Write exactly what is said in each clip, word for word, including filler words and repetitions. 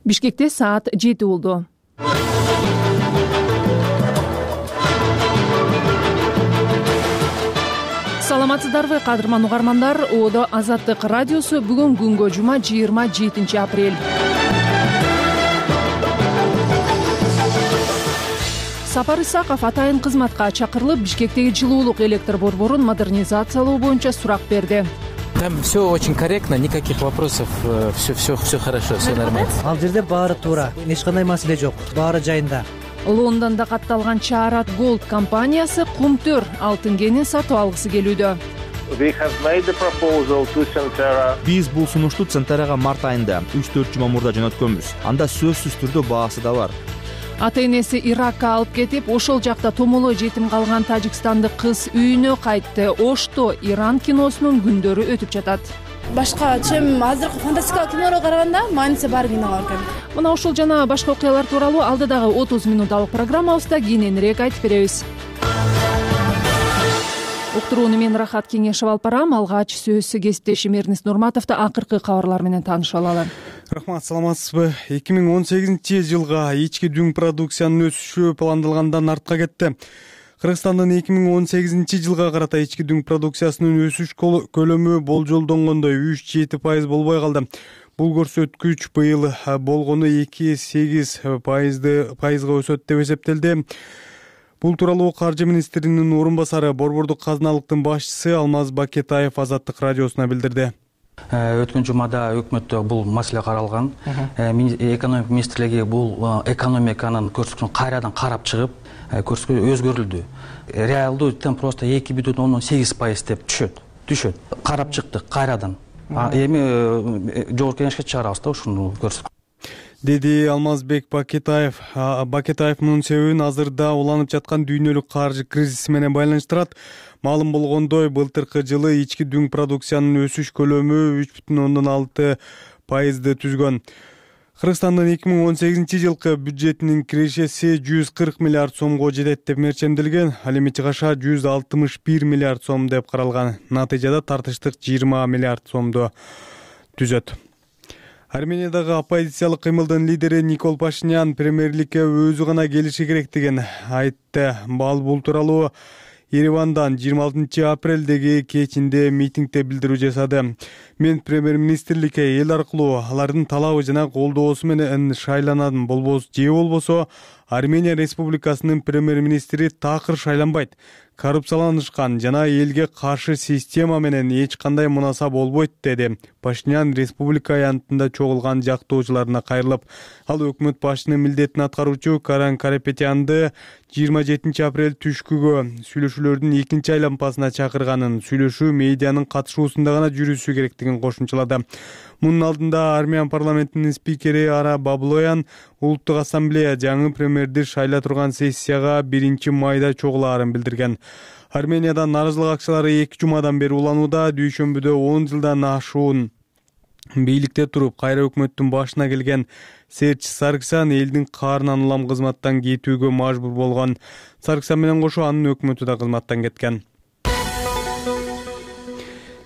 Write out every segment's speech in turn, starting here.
Бишкекте саат жети болду. Саламатсыздарбы, кадырман угармандар? Оодо Азаттык радиосу бүгүн күнгө жума жыйырма жетинчи апрель. Сапар Исаков атайын кызматка чакырылып, Бишкектеги жылуулук электр борборун модернизациялоо боюнча сурак берди. Там все очень корректно, никаких вопросов, все, все, все хорошо, все нормально. Ал жерде баары туура, эч кандай маселе жок, баары жайында. Лондондо катталган Чаарат Голд компаниясы Кумтөр алтын кенин сатып алгысы келүүдө. Биз бул сунушту Центерага март айында үч төрт жума мурда жөнөткөнбүз. Анда сөзсүз түрдө баасы да бар. Ата-энеси Иракка алып кетип, ошол жакта томолой жетим калган тажикстандык кыз үйүнө кайтты. Ошто Иран киносунун күндөрү өтүп жатат. Башка чем азыркы фантастикалык кинолорго караганда мааниси бар кино бар экен. Мына ошол жана башка окуялар тууралуу алдыдагы отуз минуталык программабызда кененирээк айтып беребиз. Уктурууну мен Рахат Кеңешев алып барам. Алгач сөз кесиптешим Эрнис Нурматовду акыркы кабарлар менен таанышып алалы. Рахмат, саламатсызбы? эки миң он сегизинчи жылга ички дүң продукциянын өсүшү пландалгандан артка кетти. Кыргызстандын эки миң он сегизинчи жылга карата ички дүң продукциясынын өсүш көлөмү болжолдонгондой үч жети пайыз болбой калды. Бул көрсөткүч быйыл болгону эки сегиз пайызга өсөт деп эсептелди. Бул тууралуу Каржы министринин орун басары, борбордук казыналыктын башчысы Алмаз Бакетаев Азаттык радиосуна билдирди. Өткөн жумада өкмөттө бул маселе каралган. Экономика министрлиги бул экономиканын көрсөткүчүн кайрадан карап чыгып, көрсөткүч өзгөрүлдү. Реалдуу темп просто эки бүтүн ондон сегиз пайыз деп түшөт. Түшөт. Карап чыктык кайрадан. Эми жогорку кеңешке чыгарабыз да ушуну көрсөткүч. Деди Алмазбек Бакетаев. Бакетаев мунун себебин азырда уланып жаткан дүйнөлүк каржы кризиси менен байланыштырат. Маалым болгондой, былтыркы жылы ички дүң продукциянын өсүш көлөмү үч бүтүн ондон алты пайызды түзгөн. Кыргызстандын эки миң он сегизинчи жылкы бюджетинин кирешеси жүз кырк миллиард сомго жетет деп мерчемделген. Ал эми чыгаша жүз алтымыш бир миллиард сом деп каралган. Натыйжада тартыштык жыйырма миллиард сомду түзөт. Армениядагы оппозициялык кыймылдын лидери Никол Пашинян премьерликке өзү гана келиши керек деген айтты. Бул тууралуу Еревандан жыйырма алтынчы апрелдеги кечинде митингде билдирүү жасады. Мен премьер-министрликке эл аркылуу алардын талабы жана колдоосу менен шайланам, болбосо же болбосо Армения Республикасынын премьер-министри такыр шайланбайт. Коррупцияланышкан жана элге каршы система менен эч кандай мунаса болбойт, деди. Пашинян республика аянтында чогулган жактоочуларына кайрылып, ал өкмөт башчынын милдетин аткаруучу Каран Карапетянды жыйырма жетинчи апрель түшкүгө сүйлөшүүлөрдүн экинчи айлампасына чакырганын, сүйлөшүү медианын катышуусунда гана жүрүшү керектигин кошумчалады. Мунун алдында Армян парламентинин спикери Ара Баблоян Улуттук ассамблея жаңы премьерди шайла турган сессияга биринчи майда чогулаарын билдирген. Арменияда нааразылык акчалары эки жумадан бери уланууда. Дүйшөмбүдө он жылдан ашуун бийликте туруп, кайра өкмөттүн башына келген Серч Сарксян элдин каарынан улам кызматтан кетүүгө мажбур болгон. Сарксян менен кошо анын өкмөтү да кызматтан кеткен.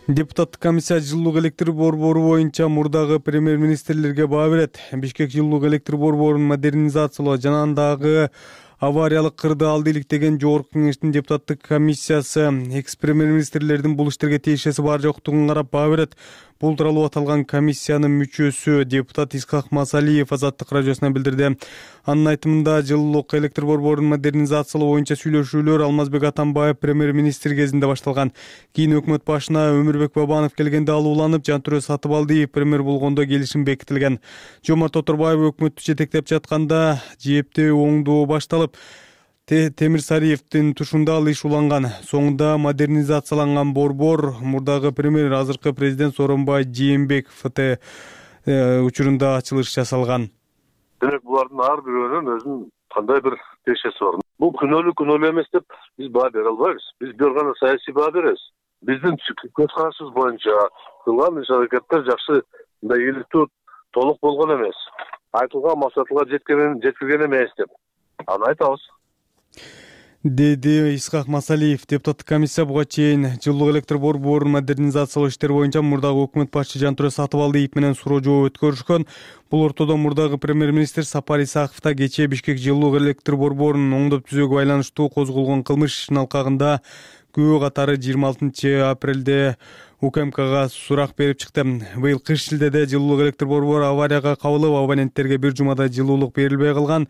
Депутаттык комиссия жылуулук электр борбору боюнча мурдагы премьер-министрлерге баа берет. Бишкек жылуулук электр борборун модернизациялоо жана андагы авариялык кырды алды иликтеген жогорку кеңештин депутаттык комиссиясы экс-премьер-министрлердин бул иштерге тиешеси бар жоктугун карап баа берет. Бул тууралуу аталган комиссиянын мүчөсү депутат Исхак Масалиев Азаттык радиосуна билдирди. Анын айтымында жылуулук электр борборун модернизациялоо боюнча сүйлөшүүлөр Алмазбек Атамбаев премьер-министр кезинде башталган. Кийин өкмөт башына Өмүрбек Бабанов келгенде ал уланып, Жантүрө Сатыбалдиев премьер болгондо келишим бекитилген. Жомарт Оторбаев өкмөттү жетектеп жатканда жээптүү оңдоо башталып, Темир Сариевдин тушунда ал иш уланган. Соңунда модернизацияланган борбор мурдагы премьер, азыркы президент Сооронбай Жээнбеков ФТ учурунда ачылыш жасалган. Демек булардын ар бирөөнүн өзүнүн кандай бир тиешеси бар. Бул күнөөлүү күнөөлүү эмес деп биз баа бере албайбыз. Биз бир гана саясий баа беребиз. Биздин көз карашыбыз боюнча кылган иш-аракеттер жакшы, мындай ийгиликтүү толук болгон эмес. Айтылган максатка жеткенин жеткирген эмес деп аны айтабыз. деди Исхак Масалиев. Депутаттык комиссия буга чейин жылуулук электр борборун модернизациялоо иштери боюнча мурдагы өкмөт башчы Жантүрө Сатыбалдиев менен суроо жооп өткөрүшкөн. Бул ортодо мурдагы премьер-министр Сапар Исаков да кечээ Бишкек жылуулук электр борборунун оңдоп түзүүгө байланыштуу козголгон кылмыш ишинин алкагында күбө катары жыйырма алтынчы апрелде УКМКга сурак берип чыкты. Быйыл кыш шилдеде жылуулук электр борбору аварияга кабылып, абоненттерге бир жумада жылуулук берилбей калган.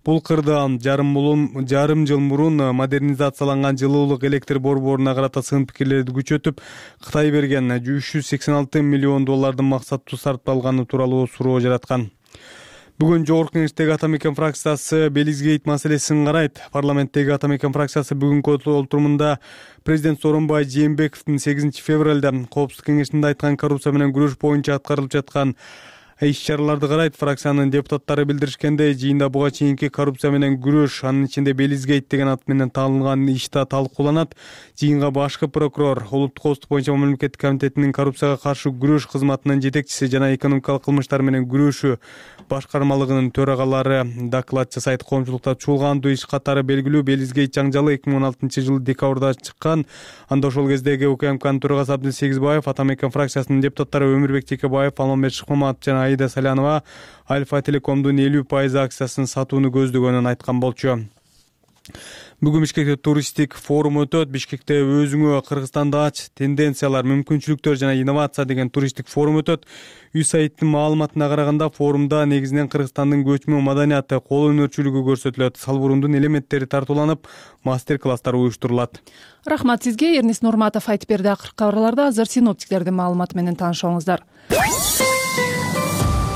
Бул кырда жарым мулун жарым жыл мурун модернизацияланган жылуулук электр борборуна карата сын пикирлерди күчөтүп, Кытай берген үч жүз сексен алты миллион доллардын максаттуу сарпталганы тууралуу суроо жараткан. Бүгүн Жогорку Кеңештеги Атамекен фракциясы Белизгейт маселесин карайт. Парламенттеги Атамекен фракциясы бүгүнкү отурумунда президент Сооронбай Жээнбековдун сегизинчи февралда Коопсуздук кеңешинде айткан коррупция менен күрөш боюнча аткарылып жаткан иш-чараларды карайт. Фракциянын депутаттары билдиришкендей, жыйында буга чейинки коррупция менен күрөш, анын ичинде Белизгейт деген ат менен таанылган ишта талкууланат. Жыйынга башкы прокурор, Улуттук коопсуздук боюнча мамлекеттик комитетинин коррупцияга каршы күрөш кызматынын жетекчиси жана экономикалык кылмыштар менен күрөшүү башкармалыгынын төрагалары доклад жасайт. Коомчулукта чуулгандуу иш катары белгилүү. Белизгейт жаңжалы эки миң он алтынчы жылы декабрда чыккан. Анда ошол кездеги УКМКнын төрагасы Абдил Сегизбаев, Атамекен фракциясынын депутаттары Өмүрбек Текебаев, Алмамбет Шыкмаматов жана Аида Салянова Альфа Телекомдун элүү пайыз акциясын сатууну көздөгөнүн айткан болчу. Бүгүн Бишкекте туристтик форум өтөт. Бишкекте өзүңө Кыргызстанда ач тенденциялар, мүмкүнчүлүктөр жана инновация деген туристтик форум өтөт. ЮСАИДтин маалыматына караганда, форумда негизинен Кыргызстандын көчмө маданияты, кол өнөрчүлүгү көрсөтүлөт. Салбурундун элементтери тартууланып, мастер-класстар уюштурулат. Рахмат сизге. Эрнис Нурматов айтып берди. Акыркы кабарларда азыр синоптиктердин маалыматы менен таанышыңыздар.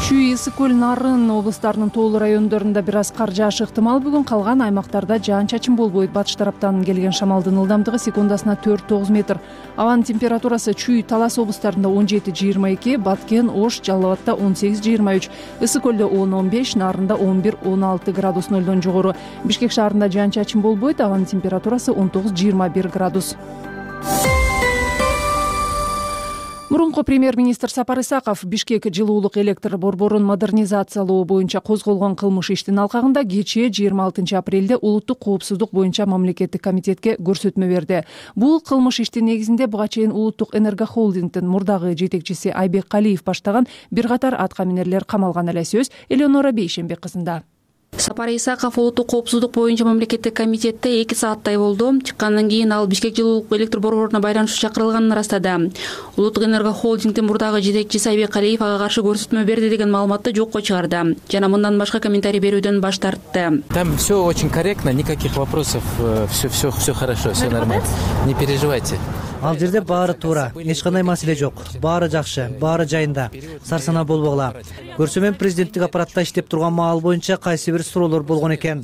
Чүй, Ысык көл, Нарын облустарынын тоолуу райондорунда бир аз кар жаашы ыктымал. Бүгүн калган аймактарда жаан-чачын болбойт. Батыш тараптан келген шамалдын ылдамдыгы секундасына төрт тогуз метр. Абанын температурасы Чүй, Талас облустарында он жети жыйырма эки, Баткен, Ош, Жалал Абадта он сегиз жыйырма үч, Ысык көлдө он он беш, Нарында он бир он алты градус нөлдөн жогору. Бишкек шаарында жаан-чачын болбойт. Абанын температурасы он тогуз жыйырма бир градус. Мурунку премьер-министр Сапар Исаков Бишкек жылуулук электр борборун модернизациялоо боюнча козголгон кылмыш иштин алкагында кечээ жыйырма алтынчы апрелде Улуттук коопсуздук боюнча мамлекеттик комитетке көрсөтмө берди. Бул кылмыш иштин негизинде буга чейин Улуттук энергохолдингдин мурдагы жетекчиси Айбек Калиев баштаган бир катар аткаминерлер камалган эле. Сөз Элеонора Бейшенбек кызында. Сапар Исаков Улуттук коопсуздук боюнча мамлекеттик комитетте эки сааттай болду. Чыккандан кийин ал Бишкек жылуулук электр борборуна байланышуу чакырылганын ырастады. Улуттук энергохолдингдин мурдагы жетекчиси Айбек Калиев ага каршы көрсөтмө берди деген маалыматты жокко чыгарды жана мындан башка комментарий берүүдөн баш тартты. Там все очень корректно, никаких вопросов, все все все хорошо, все нормально. Не переживайте. Ал жерде баары туура, эч кандай маселе жок. Баары жакшы, баары жайында. Сарсанаа болбогула. Көрсөмөн президенттик аппаратта иштеп турган маал боюнча кайсы бир суроолор болгон экен.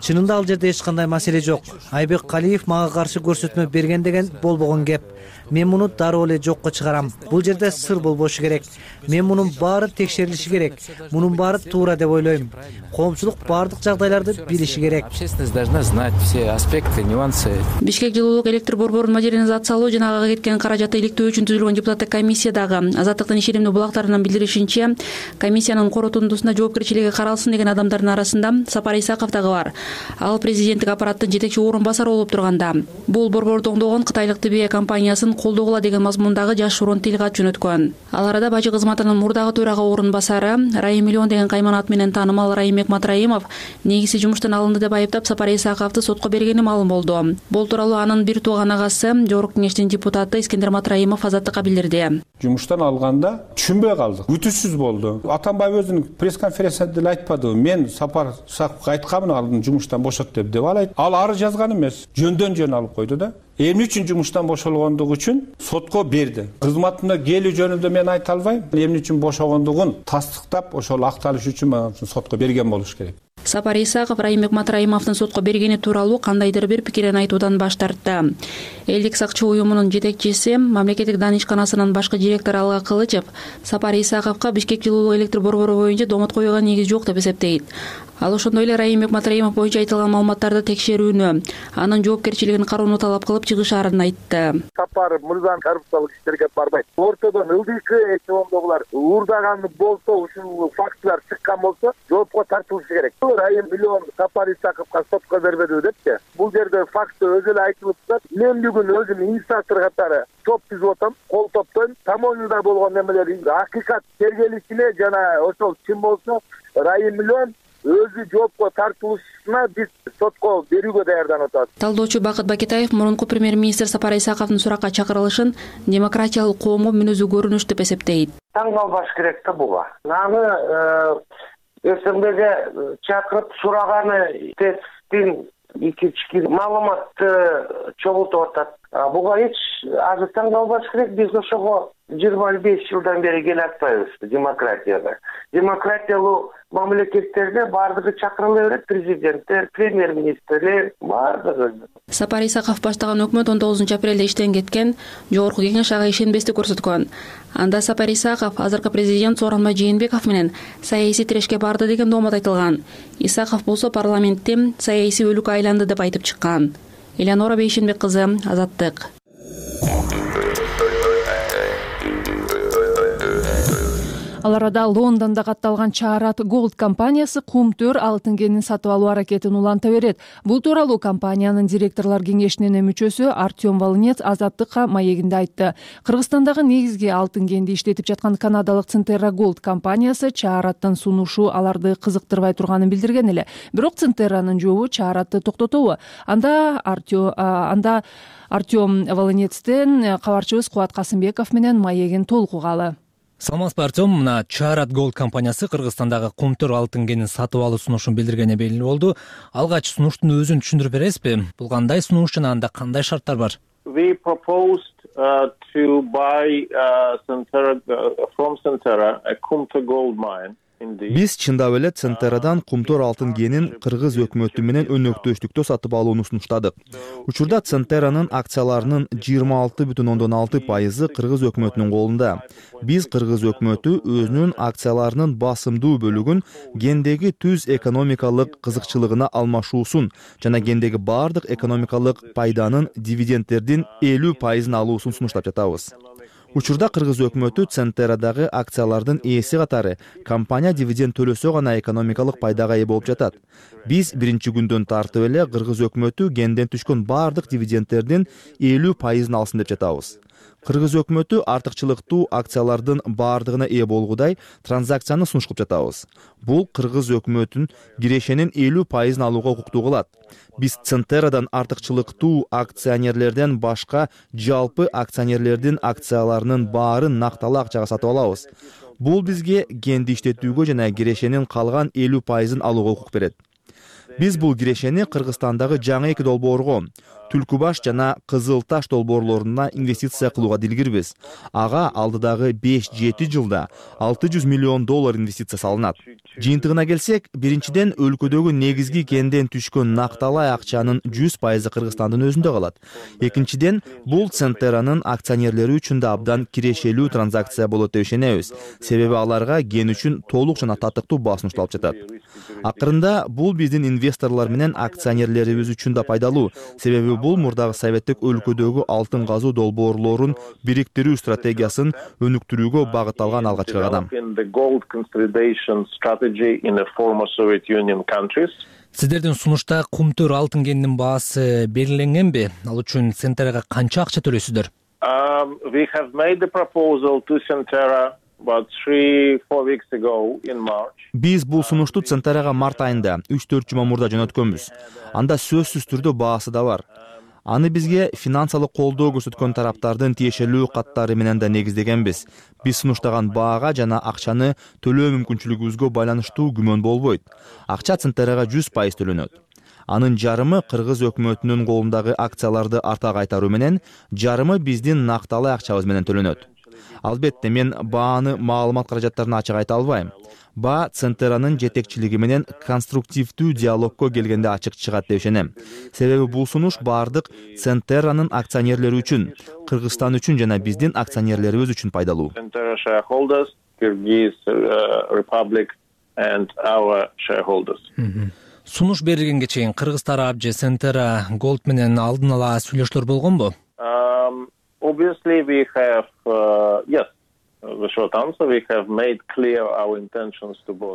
Чынында ал жерде эч кандай маселе жок. Айбек Калиев мага каршы көрсөтмө берген деген болбогон кеп. Мен муну дароо эле жокко чыгарам. Бул жерде сыр болбошу керек. Мен мунун баары текшерилиши керек. Мунун баары туура деп ойлойм. Коомчулук баардык жагдайларды билиши керек. Общественность должна знать все аспекты, нюансы. Бишкек жылуулук электр борборун модернизациялоо жана ага кеткен каражатты иликтөө үчүн түзүлгөн депутаттык комиссиядагы Азаттыктын ишенимдүү булактарынан билдиришинче, комиссиянын коротундусунда жоопкерчилиги каралсын деген адамдардын арасында Сапар Исаков дагы бар. Ал президенттик аппараттын жетекчи орун басары болуп турганда. Бул борборду оңдогон кытайлык Тибе компаниясын колдогула деген мазмундагы жашыруун тилкат жөнөткөн. Ал арада бажы кызматынын мурдагы төрага орун басары Райым Миллион деген кайман ат менен таанымал Райымбек Матраимов негизи жумуштан алынды деп айыптап Сапар Исаковду сотко бергени маалым болду. Бул тууралуу анын бир тууган агасы Жогорку Кеңештин депутаты Искендер Матраимов Азаттыкка билдирди. Жумуштан алганда түшүнбөй калдык. Күтүүсүз болду. Атамбаев өзүнүн пресс-конференциясында деле айтпадыбы? Мен Сапар Исаковго айткамын, аны жумуштан бошот деп деп алайт. Ал ары жазган эмес, жөндөн жөн алып койду да. Эмне үчүн жумуштан бошолгондугу үчүн сотко берди. Кызматына келүү жөнүндө мен айта албайм. Эмне үчүн бошогондугун тастыктап, ошол акталыш үчүн мага сотко берген болуш керек. Сапар Исаков Райымбек Матраимовдун сотко бергени тууралуу кандайдыр бир пикирин айтуудан баш тартты. Элдик сакчы уюмунун жетекчиси, мамлекеттик данышканасынын башкы директору Алга Кылычев Сапар Исаковго Бишкек жылуулук электр борбору боюнча домот коюуга негиз жок деп эсептейт. Ал ошондой эле Райымбек Матраимов боюнча айтылган маалыматтарды текшерүүнү, анын жоопкерчилигин кароону талап кылып чыгышаарын айтты. Сапар мырзанын коррупциялык иштерге барбайт. Ортодон ылдыйкы эч болбогондо булар уурдаганы болсо, ушул фактылар чыккан болсо, жоопко тартылышы керек. Райым миллион Сапар Исаковго сотко бербедиби депчи. Бул жерде факты өзү эле айтылып турат. Мен бүгүн өзүм инициатор катары топ түзүп атам, кол топтойм. Тамоюда болгон немелер акыйкат тергелишине жана ошол чын болсо Райым миллион өзү жоопко тартылышына биз сотко берүүгө даярданып атабыз. Талдоочу Бакыт Бакетаев мурунку премьер-министр Сапар Исаковдун суракка чакырылышын демократиялык коомго мүнөзүү көрүнүш деп эсептейт. Таң калбаш керек да буга. Аны СМБге чакырып сураганы тесттин ички маалыматты чогултуп атат. Буга эч азыр таң калбаш керек. Биз ошого жыйырма беш жылдан бери келе атпайбыз демократияга. Демократиялуу мамлекеттерде бардыгы чакырыла берет, президенттер, премьер-министрлер бардыгы. Сапар Исаков баштаган өкмөт он тогузунчу апрелде иштен кеткен, жогорку кеңеш ага ишенбестик көрсөткөн. Анда Сапар Исаков азыркы президент Сооронбай Жээнбеков менен саясий тирешке барды деген доомат айтылган. Исаков болсо парламентте саясий өлүккө айланды деп айтып чыккан. Элеонора Бейшенбек кызы, Азаттык. Ал арада Лондондо катталган Чаарат Gold компаниясы кумтөр алтын кенин сатып алуу аракетин уланта берет. Бул тууралуу компаниянын директорлор кеңешинин мүчөсү Артем Волынец Азаттыкка маегинде айтты. Кыргызстандагы негизги алтын кенди иштетип жаткан канадалык Centerra Gold компаниясы Чаараттын сунушу аларды кызыктырбай турганын билдирген эле. Бирок Centerra'нын жообу Чааратты токтотобу? Анда Артем анда Артем Волынецтен кабарчыбыз Кубат Касымбеков менен маегин толкугалы. Саламатсызбы, Артем. Мына Чаарат Gold компаниясы Кыргызстандагы кумтөр алтын кенин сатып алуу сунушун билдиргени белгилүү болду. Алгач сунуштун өзүн түшүндүрүп бересизби? Бул кандай сунуш жана анда кандай шарттар бар? We proposed uh, to buy uh, Centerra, uh, from Centerra a Kumtor gold mine. Биз чындап эле Centerra'дан кумтөр алтын кенин кыргыз өкмөтү менен өнөктөштүктө сатып алууну сунуштадык. Учурда Centerra'нын акцияларынын жыйырма алты бүтүн ондон алты пайызы кыргыз өкмөтүнүн колунда. Биз кыргыз өкмөтү өзүнүн акцияларынын басымдуу бөлүгүн кендеги түз экономикалык кызыкчылыгына алмашуусун жана кендеги бардык экономикалык пайданын дивидендтердин элүү пайызын алуусун сунуштап жатабыз. Учурда кыргыз өкмөтү Centerra'дагы акциялардын ээси катары компания дивиденд төлөсө гана экономикалык пайдага ээ болуп жатат. Биз биринчи күндөн тартып эле кыргыз өкмөтү кенден түшкөн бардык дивидендтердин элүү пайызын алсын деп жатабыз. Кыргыз өкмөтү артыкчылыктуу акциялардын бардыгына ээ болгудай транзакцияны сунуш кылып жатабыз. Бул кыргыз өкмөтүн кирешенин элүү пайызын алууга укуктуу кылат. Биз Centerra'дан артыкчылыктуу акционерлерден башка жалпы акционерлердин акцияларынын баарын накталуу акчага сатып алабыз. Бул бизге кенди иштетүүгө жана кирешенин калган элүү пайызын алууга укук берет. Биз бул кирешени Кыргызстандагы жаңы эки долбоорго, Түлкү баш жана Кызыл таш долбоорлоруна инвестиция кылууга дилгирбиз. Ага алдыдагы беш жети жылда алты жүз миллион доллар инвестиция салынат. Жыйынтыгына келсек, биринчиден өлкөдөгү негизги кенден түшкөн накталай акчанын жүз пайызы Кыргызстандын өзүндө калат. Экинчиден, бул Centerra'нын акционерлери үчүн да абдан кирешелүү транзакция болот деп ишенебиз. Себеби аларга кен үчүн толук жана татыктуу баа сунушталып жатат. Акырында бул биздин инвесторлор менен акционерлерибиз үчүн да пайдалуу. Себеби бул мурдагы советтик өлкөдөгү алтын казуу долбоорлорун бириктирүү стратегиясын өнүктүрүүгө багытталган алгачкы кадам. Сиздердин сунушта кумтөр алтын кенинин баасы белгиленгенби? Ал үчүн Centerra'га канча акча төлөйсүздөр? Um, we have made the proposal to Centerra about three four weeks ago in March. Биз бул сунушту Centerra'га март айында үч төрт жума мурда жөнөткөнбүз. Анда сөзсүз түрдө баасы да бар. Аны бизге финансылык колдоо көрсөткөн тараптардын тиешелүү каттары менен да негиздегенбиз. Биз сунуштаган баага жана акчаны төлөө мүмкүнчүлүгүбүзгө байланыштуу күмөн болбойт. Акча Centerra'га жүз пайыз төлөнөт. Анын жарымы кыргыз өкмөтүнүн колундагы акцияларды арта кайтаруу менен, жарымы биздин накталай акчабыз менен төлөнөт. Албетте, мен бааны маалымат каражаттарына ачык айта албайм. Баа Centerra'нын жетекчилиги менен конструктивдүү диалогко келгенде ачык чыгат деп ишенем. Себеби бул сунуш бардык Centerra'нын акционерлери үчүн, Кыргызстан үчүн жана биздин акционерлерибиз үчүн пайдалуу. Centerra shareholders, Kyrgyz Republic and our shareholders. Сунуш берилгенге чейин Кыргыз тарап же Centerra Gold менен алдын ала сүйлөшүүлөр болгонбу? Um, obviously we have uh, yes.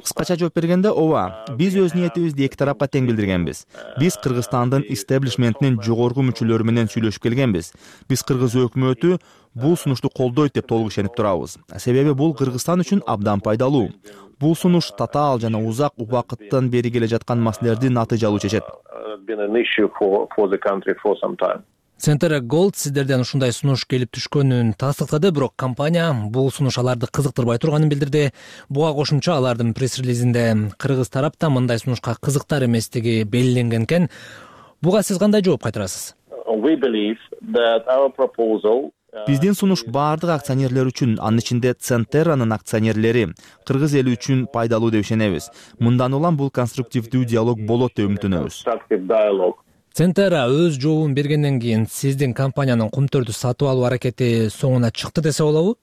Кыскача жооп бергенде, ооба, биз өз ниетибизди эки тарапка тең билдиргенбиз. Биз Кыргызстандын истеблишментинин жогорку мүчөлөрү менен сүйлөшүп келгенбиз. Биз Кыргыз өкмөтү бул сунушту колдойт деп толук ишенип турабыз. Себеби бул Кыргызстан үчүн абдан пайдалуу. Бул сунуш татаал жана узак убакыттан бери келе жаткан маселелерди натыйжалуу чечет. Centera Gold сиздерден ушундай сунуш келип түшкөнүн тастыктады, бирок компания бул сунуш аларды кызыктырбай турганын билдирди. Буга кошумча алардын пресс-релизинде кыргыз тарапта мындай сунушка кызыктар эместиги белгиленген экен. Буга сиз кандай жооп кайтарасыз? Биздин сунуш баардык акционерлер үчүн, анын ичинде Centera'нын акционерлери, кыргыз эли үчүн пайдалуу деп ишенебиз. Мындан улам бул конструктивдүү диалог болот деп үмүттөнөбүз. Centera өз жообун бергенден кийин сиздин компаниянын Кумтөрдү сатып алуу аракети соңуна чыкты десе болобу?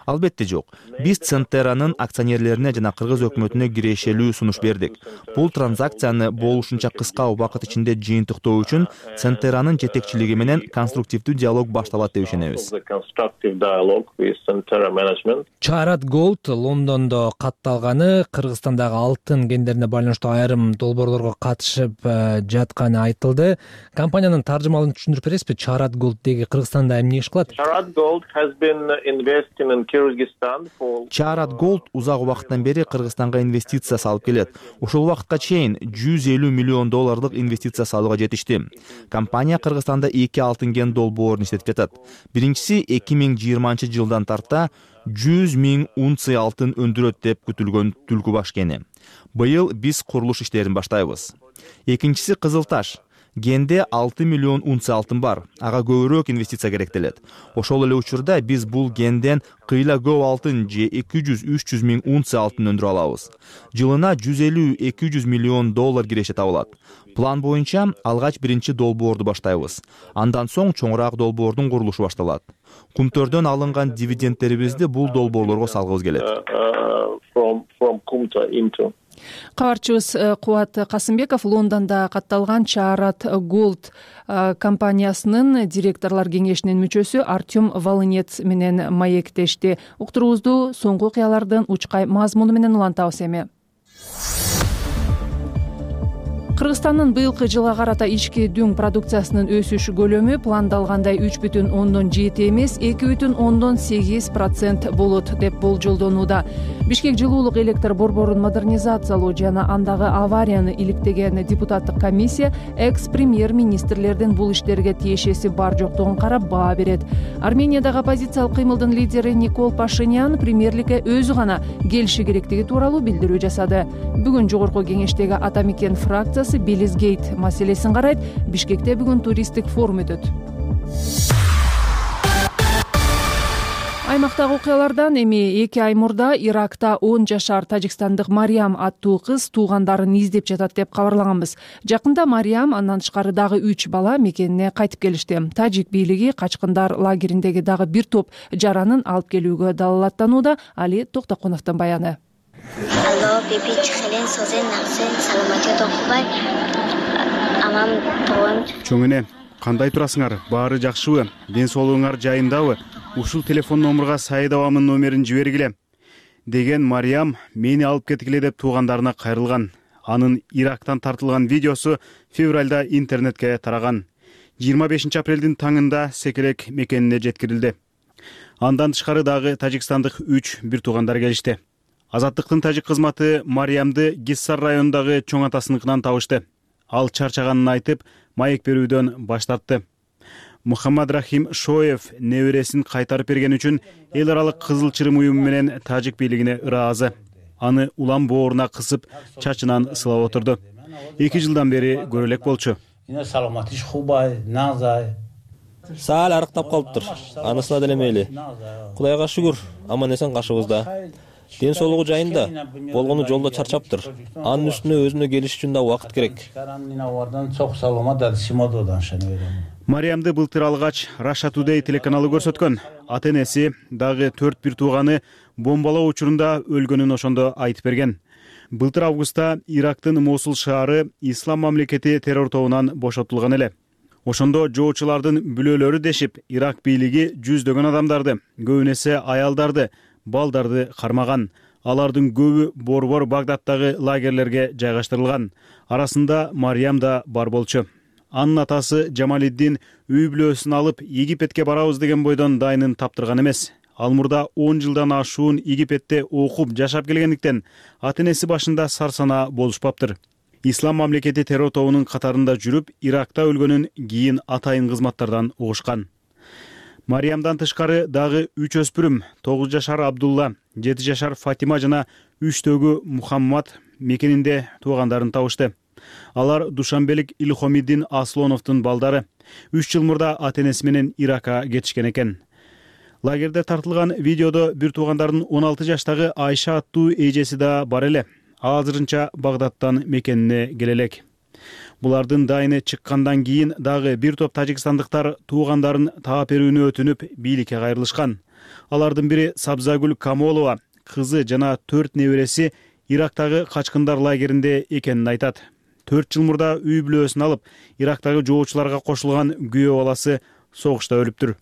Албетте жок. Биз Centera'нын акционерлерине жана кыргыз өкмөтүнө кирешелүү сунуш бердик. Бул транзакцияны болушунча кыска убакыт ичинде жыйынтыктоо үчүн Centera'нын жетекчилиги менен конструктивдүү диалог башталат деп ишенебиз. Charad Gold Лондондо катталганы, Кыргызстандагы алтын кендерине байланыштуу айрым долбоорлорго катышып жатканы айтылды. Компаниянын таржымалын түшүндүрүп бересизби? Charad Gold деги Кыргызстанда эмне иш кылат? Charad Gold has been Charad Gold узак убакыттан бери Кыргызстанга инвестиция салып келет. Ушул убакытка чейин жүз элүү миллион долларлык инвестиция салууга жетишти. Компания Кыргызстанда эки алтын кен долбоорун иштетип жатат. Биринчиси эки миң жыйырманчы жылдан тарта жүз миң унция алтын өндүрөт деп күтүлгөн Түлкү баш кени. Быйыл биз курулуш иштерин баштайбыз. Экинчиси Кызыл Таш. Генде алты миллион унция алтын бар. Ага көбүрөөк инвестиция керектелет. Ошол эле учурда биз бул генден кыйла көп алтын же эки жүз үч жүз миң унция алтын өндүрө алабыз. Жылына жүз элүү эки жүз миллион доллар киреше табылат. План боюнча алгач биринчи долбоорду баштайбыз. Андан соң чоңураак долбоордун курулушу башталат. Кумтөрдөн алынган дивидендтерибизди бул долбоорлорго салгыбыз келет. Кабарчыбыз Кубат Касымбеков Лондондо катталган Charad Gold компаниясынын директорлор кеңешинин мүчөсү Артем Волынец менен маектешти. Уктуруубузду соңку окуялардын учкай мазмуну менен улантабыз эми. Кыргызстандын быйылкы жылга карата ички дүң продукциясынын өсүш көлөмү пландалгандай үч бүтүн ондон жети эмес, эки бүтүн ондон сегиз процент болот деп болжолдонууда. Бишкек жылуулук электр борборун модернизациялоо жана андагы аварияны иликтеген депутаттык комиссия экс-премьер-министрлердин бул иштерге тиешеси бар жоктугун карап баа берет. Армениядагы оппозициялык кыймылдын лидери Никол Пашинян премьерликке өзү гана келиши керектиги тууралуу билдирүү жасады. Бүгүн жогорку кеңештеги Атамекен фракциясы Белизгейт маселесин карайт. Бишкекте бүгүн туристтик форум өтөт. Аймактагы окуялардан эми эки ай мурда Иракта он жашар тажикстандык Мариям аттуу кыз туугандарын издеп жатат деп кабарлаганбыз. Жакында Мариям андан тышкары дагы үч бала мекенине кайтып келишти. Тажик бийлиги качкындар лагериндеги дагы бир топ жаранын алып келүүгө далалаттанууда. Али Токтокуновдун баяны. Алло, биби чехелен созен наксен саламатет окубай. Амам тоон. Чоңене, кандай турасыңар? Баары жакшыбы? Ден соолугуңар жайындабы? Ушул телефон номурга Саидовамын номерин жибергиле деген Мариям мени алып кеткиле деп туугандарына кайрылган. Анын Ирактан тартылган видеосу февралда интернетке тараган. жыйырма бешинчи апрелдин таңында Секелек мекенине жеткирилди. Андан тышкары дагы тажикстандык үч бир туугандар келишти. Азаттыктын тажик кызматы Мариямды Гиссар районундагы чоң атасыныкынан табышты. Ал чарчаганын айтып, маек берүүдөн баш тартты. Мухаммад Рахим Шоев небересин кайтарып берген үчүн эл аралык Кызыл Чырым уюму менен тажик бийлигине ыраазы. Аны улам бооруна кысып, чачынан сылап отурду. эки жылдан бери көрө элек болчу. Саал арыктап калыптыр. Анысына деле мейли. Кудайга шүгүр, аман эсен кашыбызда. Ден соолугу жайында, болгону жолдо чарчаптыр. Анын үстүнө өзүнө келиш үчүн да убакыт керек. Мариямды былтыр алгач Russia Today телеканалы көрсөткөн. Ата энеси дагы төрт бир тууганы бомбалоо учурунда өлгөнүн ошондо айтып берген. Былтыр августта Ирактын Мосул шаары Ислам мамлекети террор тобунан бошотулган эле. Ошондо жоочулардын бүлөлөрү дешип, Ирак бийлиги жүздөгөн адамдарды, көбүн эсе аялдарды, балдарды кармаган. Алардын көбү борбор Багдадтагы лагерлерге жайгаштырылган. Арасында Мариям да бар болчу. Анын атасы Жамалиддин үй бүлөсүн алып Египетке барабыз деген бойдон дайынын таптырган эмес. Ал мурда он жылдан ашуун Египетте окуп жашап келгендиктен ата энеси башында сарсана болушпаптыр. Ислам мамлекети террор тобунун катарында жүрүп, Иракта өлгөнүн кийин атайын кызматтардан угушкан. Мариямдан тышкары дагы үч өспүрүм, тогуз жашар Абдулла, жети жашар Фатима жана үчтөгү Мухаммад мекенинде туугандарын табышты. Алар Душанбелик Илхомиддин Аслоновдун балдары. үч жыл мурда ата энеси менен Иракка кетишкен экен. Лагерде тартылган видеодо бир туугандардын он алты жаштагы Айша аттуу эжеси да бар эле. Азырынча Багдадтан мекенине келе элек. Булардын дайыны чыккандан кийин дагы бир топ тажикстандыктар туугандарын таап берүүнү өтүнүп бийликке кайрылышкан. Алардын бири Сабзагүл Камолова, кызы жана төрт небереси Ирактагы качкындар лагеринде экенин айтат. төрт жыл мурда үй бүлөсүн алып, Ирактагы жоочуларга кошулган күйөө баласы согушта өлүптүр.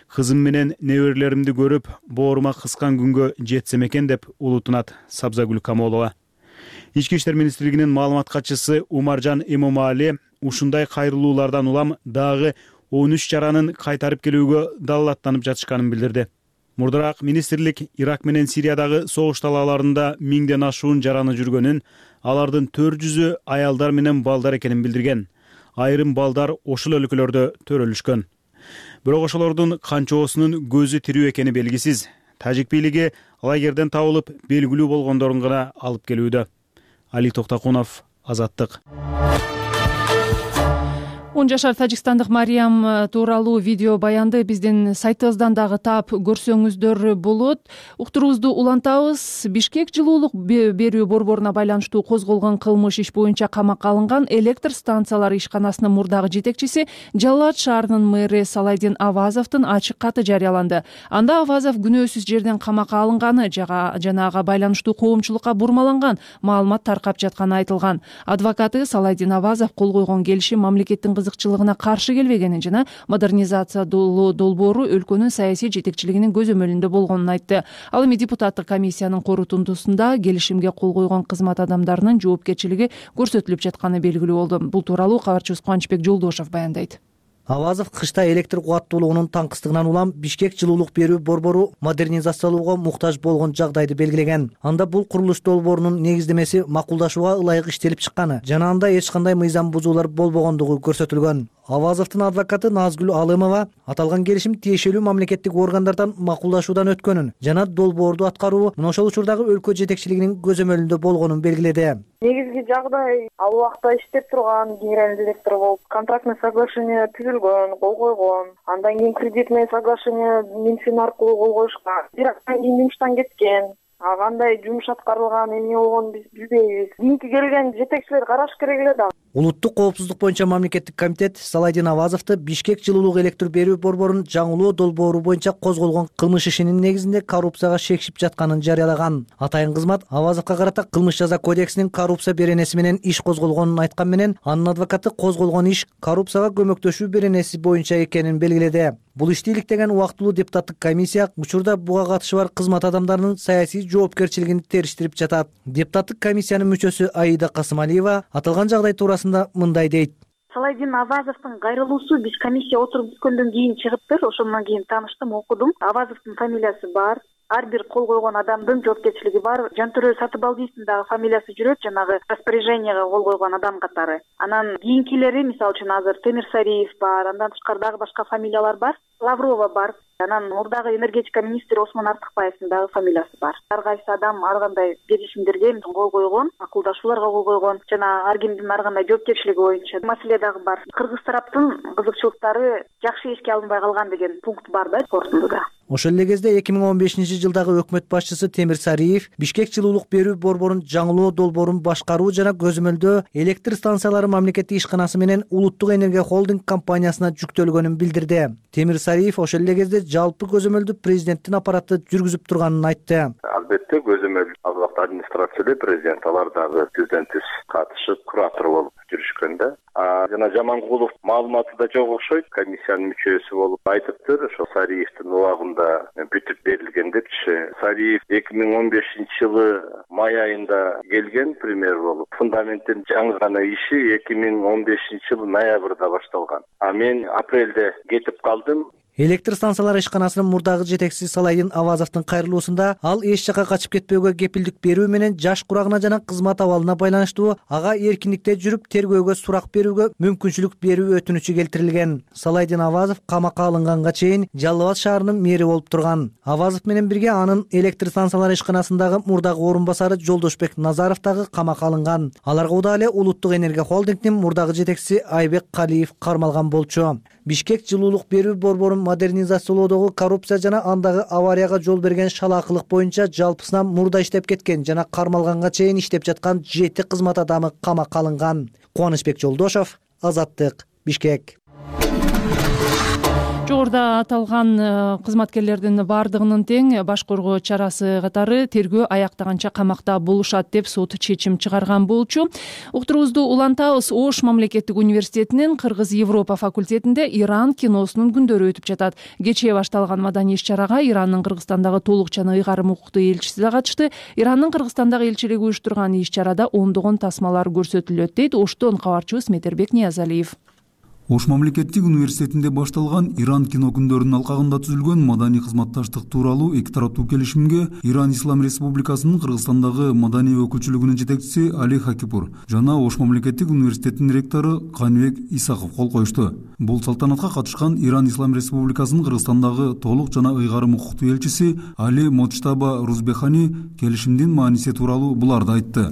Кызым менен неберелеримди көрүп, боорума кыскан күнгө жетсем экен деп улутунат Сабзагүл Камолова. Ички иштер министрлигинин маалымат катчысы Умаржан Эмомали ушундай кайрылуулардан улам дагы он үч жаранын кайтарып келүүгө далалаттанып жатышканын билдирди. Мурдараак министрлик Ирак менен Сириядагы согуш талааларында миңден ашуун жараны жүргөнүн, алардын төрт жүзү аялдар менен балдар экенин билдирген. Айрым балдар ошол өлкөлөрдө төрөлүшкөн. Бирок ошолордун канчоосунун көзү тирүү экени белгисиз. Тажик бийлиги лагерден табылып белгилүү болгондорун гана алып келүүдө. Али Токтакунов, Азаттык. он жашар тажикстандык Мариям тууралуу видео баянды биздин сайтыбыздан дагы таап көрсөңүздөр болот. Уктуруубузду улантабыз. Бишкек жылуулук берүү борборуна байланыштуу козголгон кылмыш иш боюнча камакка алынган электр станциялары ишканасынын мурдагы жетекчиси Жалал Абад шаарынын мэри Салайдин Авазовдун ачык каты жарыяланды. Анда Авазов күнөөсүз жерден камакка алынганы жана ага байланыштуу коомчулукка бурмаланган маалымат таркап жатканы айтылган. Адвокаты Салайдин Авазов кол койгон келишим мамлекеттин кызыкчылыгына каршы келбегенин жана модернизация долбоору өлкөнүн саясий жетекчилигинин көзөмөлүндө болгонун айтты. Ал эми депутаттык комиссиянын корутундусунда келишимге кол койгон кызмат адамдарынын жоопкерчилиги көрсөтүлүп жатканы белгилүү болду. Бул тууралуу кабарчыбыз Кубанычбек Жолдошов баяндайт. Авазов кышта электр кубаттуулугунун таңкыстыгынан улам Бишкек жылуулук берүү борбору модернизациялоого муктаж болгон жагдайды белгилеген. Анда бул курулуш долбоорунун негиздемеси макулдашууга ылайык иштелип чыкканы жана анда эч кандай мыйзам бузуулар болбогондугу көрсөтүлгөн. Авазовдун адвокаты Назгүл Алымова аталган келишим тиешелүү мамлекеттик органдардан макулдашуудан өткөнүн жана долбоорду аткаруу мына ошол учурдагы өлкө жетекчилигинин көзөмөлүндө болгонун белгиледи. Негизги жагдай ал убакта иштеп турган генеральный директор болуп, контрактный соглашение түзүлгөн, кол койгон. Андан кийин кредитный соглашение Минфин аркылуу кол коюшкан. Бир айдан кийин жумуштан кеткен. А кандай жумуш аткарылган, эмне болгонун биз билбейбиз. Кийинки келген жетекчилер караш керек эле да. Улуттук коопсуздук боюнча мамлекеттик комитет Салайдин Авазовду Бишкек жылуулук электр берүү борборунун жаңылоо долбоору боюнча козголгон кылмыш ишинин негизинде коррупцияга шекшип жатканын жарыялаган. Атайын кызмат Авазовго карата кылмыш жаза кодексинин коррупция беренеси менен иш козголгонун айткан менен анын адвокаты козголгон иш коррупцияга көмөктөшүү беренеси боюнча экенин белгиледи. Бул ишти иликтеген убактылуу депутаттык комиссия учурда буга катышы бар кызмат адамдарынын саясий жоопкерчилигин териштирип жатат. Депутаттык комиссиянын мүчөсү Аида Касымалиева аталган жагдай туурасында мындай дейт. Салайдин Авазовдун кайрылуусу биз комиссия отуруп бүткөндөн кийин чыгыптыр. Ошондон кийин тааныштым, окудум. Авазовдун фамилиясы бар. Ар бир кол койгон адамдын жоопкерчилиги бар. Жантөрө Сатыбалдиевдин дагы фамилиясы жүрөт, жанагы распоряжениеге кол койгон адам катары. Анан кийинкилери, мисалы үчүн азыр Темир Сариев бар, андан тышкары дагы башка фамилиялар бар. Лаврова бар. Анан мурдагы энергетика министри Осмон Артыкбаевдин дагы фамилиясы бар. Ар кайсы адам ар кандай келишимдерге кол койгон, макулдашууларга кол койгон жана ар кимдин ар кандай жоопкерчилиги боюнча маселе дагы бар. Кыргыз тараптын кызыкчылыктары жакшы эске алынбай калган деген пункт бар да корутундуда. Ошол эле кезде эки миң он бешинчи жылдагы өкмөт башчысы Темир Сариев Бишкек жылуулук берүү борборунун жаңылоо долбоорун башкаруу жана көзөмөлдөө электр станциялары мамлекеттик ишканасы менен Улуттук энергия холдинг компаниясына жүктөлгөнүн билдирди. Темир Сариев ошол эле кезде жалпы көзөмөлдү президенттин аппараты жүргүзүп турганын айтты. Албетте көзөмөл ал убакта администрациялы президент алар дагы президенттиз катышып куратор болуп жүрүшкөн да. жана Жаманкулов маалыматы да жок окшойт. Комиссиянын мүчөсү болуп айтыптыр, ошо Сариевдин убагында бүтүп берилген депчи. Сариев эки миң он бешинчи жылы май айында келген премьер болуп. Фундаменттин жаңы гана иши эки миң он бешинчи жылы ноябрда башталган. А мен апрелде кетип калдым. Электр станциялары ишканасынын мурдагы жетекчиси Салайдин Авазовдун кайрылуусунда ал эч жака качып кетпөөгө кепилдик берүү менен жаш курагына жана кызмат абалына байланыштуу ага эркиндикте жүрүп тергөөгө сурак берүүгө мүмкүнчүлүк берүү өтүнүчү келтирилген. Салайдин Авазов камакка алынганга чейин Жалал Абад шаарынын мэри болуп турган. Авазов менен бирге анын электр станциялары ишканасындагы мурдагы орун басары Жолдошбек Назаров дагы камакка алынган. Аларга удаа эле Улуттук энергия холдингдин мурдагы жетекчиси Айбек Калиев кармалган болчу. Бишкек жылуулук берүү борборун модернизациялоодогу коррупция жана андагы аварияга жол берген шалаакылык боюнча жалпысынан мурда иштеп кеткен жана кармалганга чейин иштеп жаткан жети кызмат адамы камакка алынган. Кубанычбек Жолдошов, Азаттык, Бишкек. Жогоруда аталган кызматкерлердин бардыгынын тең баш коргоо чарасы катары тергөө аяктаганча камакта болушат деп сот чечим чыгарган болчу. Уктуруубузду улантабыз. Ош мамлекеттик университетинин Кыргыз Европа факультетинде Иран киносунун күндөрү өтүп жатат. Кечээ башталган маданий иш-чарага Ирандын Кыргызстандагы толук жана ыйгарым укуктуу элчиси да катышты. Ирандын Кыргызстандагы элчилиги уюштурган иш-чарада ондогон тасмалар көрсөтүлөт дейт Оштон кабарчыбыз Метербек Ниязалиев. Ош мамлекеттик университетинде башталган Иран кино күндөрүнүн алкагында түзүлгөн маданий кызматташтык тууралуу эки тараптуу келишимге Иран Ислам Республикасынын Кыргызстандагы маданий өкүлчүлүгүнүн жетекчиси Али Хакипур жана Ош мамлекеттик университетинин ректору Каныбек Исаков кол коюшту. Бул салтанатка катышкан Иран Ислам Республикасынын Кыргызстандагы толук жана ыйгарым укуктуу элчиси Али Моджтаба Рузбехани келишимдин мааниси тууралуу буларды айтты.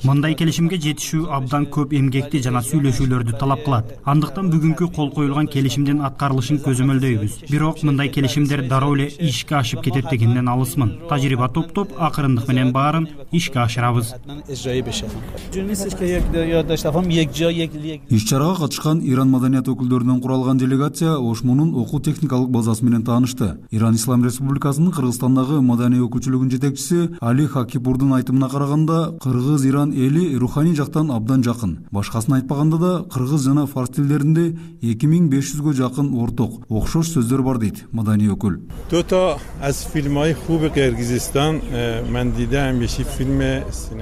Мындай келишимге жетишүү абдан көп эмгекти жана сүйлөшүүлөрдү талап кылат. Андыктан бүгүнкү кол коюлган келишимдин аткарылышын көзөмөлдөйбүз. Бирок мындай келишимдер дароо эле ишке ашып кетет дегенден алысмын. Тажрыйба топтоп, акырындык менен баарын ишке ашырабыз. Иш-чарага катышкан Иран маданият өкүлдөрүнөн куралган делегация Ошмунун окуу техникалык базасы менен таанышты. Иран Ислам Республикасынын Кыргызстандагы маданий өкүлчүлүгүнүн жетекчиси Али Хакипурдун айтымына караганда, Кыргыз-Иран эли руханий жактан абдан жакын. Башкасын айтпаганда да кыргыз жана фарс тилдеринде эки миң беш жүзгө жакын орток, окшош сөздөр бар дейт маданий өкүл.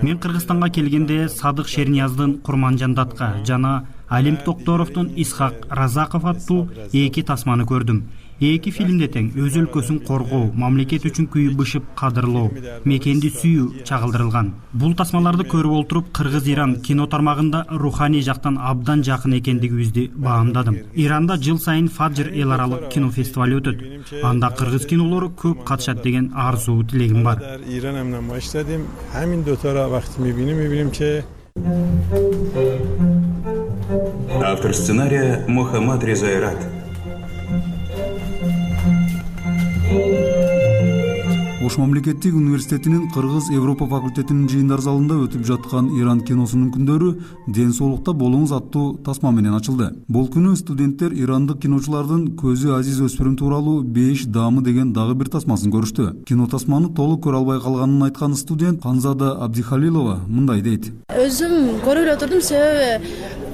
Мен Кыргызстанга келгенде Садык Шернияздын Курманжандатка жана Алим Токторовдун Исхак Разаков аттуу эки тасманы көрдүм. Эки фильмде тең өз өлкөсүн коргоо, мамлекет үчүн күйүп бышып кадырлоо, мекенди сүйүү чагылдырылган. Бул тасмаларды көрүп олтуруп Кыргыз-Иран кино тармагында руханий жактан абдан жакын экендигибизди баамдадым. Иранда жыл сайын Фаджр эл аралык кино фестивали өтөт. Анда кыргыз кинолору көп катышат деген арзуу тилегим бар. Автор сценария Мухаммад Резайрат. Ош мамлекеттик университетинин Кыргыз Европа факультетинин жыйындар залында өтүп жаткан Иран киносунун күндөрү ден соолукта болуңуз аттуу тасма менен ачылды. Бул күнү студенттер ирандык киночулардын көзү азиз өспүрүм тууралуу беш даамы деген дагы бир тасмасын көрүштү. Кино тасманы толук көрө албай калганын айткан студент Ханзада Абдихалилова мындай дейт. Өзүм көрүп эле отурдум, себеби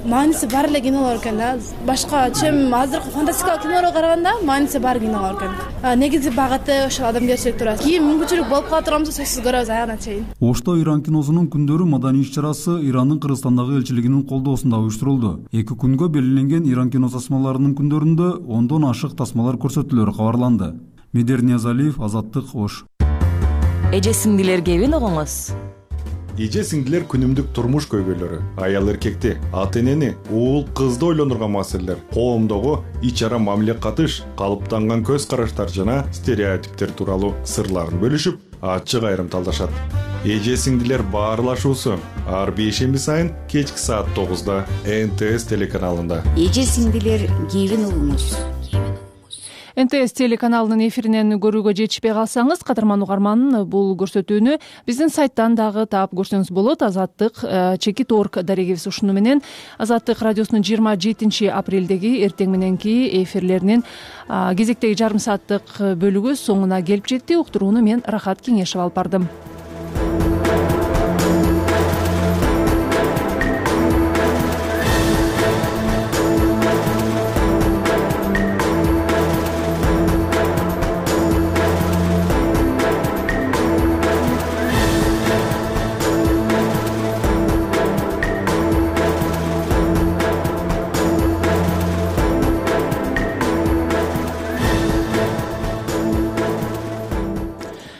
мааниси бар эле кинолор экен да. Башка чем азыркы фантастикалык кинолорго караганда мааниси бар кинолор экен. Негизи багыты ошол адамгерчилик туурасында. Кийин мүмкүнчүлүк болуп кала турганбызда сөзсүз көрөбүз аягына чейин. Ошто Иран киносунун күндөрү маданий иш-чарасы Ирандын Кыргызстандагы элчилигинин колдоосунда уюштурулду. Эки күнгө белгиленген Иран кино тасмаларынын күндөрүндө ондон ашык тасмалар көрсөтүлөрү кабарланды. Медер Ниязалиев, Азаттык, Ош. Эже сиңдилер кебин огоңуз. Эже сиңдилер күнүмдүк турмуш көйгөйлөрү, аял эркекти, ата энени, уул кызды ойлондурган маселелер, коомдогу ич ара мамиле катыш, калыптанган көз караштар жана стереотиптер тууралуу сырларын бөлүшүп, ачык айрым талдашат. Эже сиңдилер баарлашуусу ар бейшемби сайын кечки саат тогузда эн тэ эс телеканалында. Эже сиңдилер кебин угуңуз. эн тэ эс телеканалынын эфиринен көрүүгө жетишпей калсаңыз, кадырман угарман, бул көрсөтүүнү биздин сайттан дагы таап көрсөңүз болот. Азаттык чекит орг дарегибиз ушуну менен Азаттык радиосунун жыйырма жетинчи апрелдеги эртең мененки эфирлеринин кезектеги жарым сааттык бөлүгү соңуна келип жетти. Уктурууну мен Рахат Кеңешев алып бардым.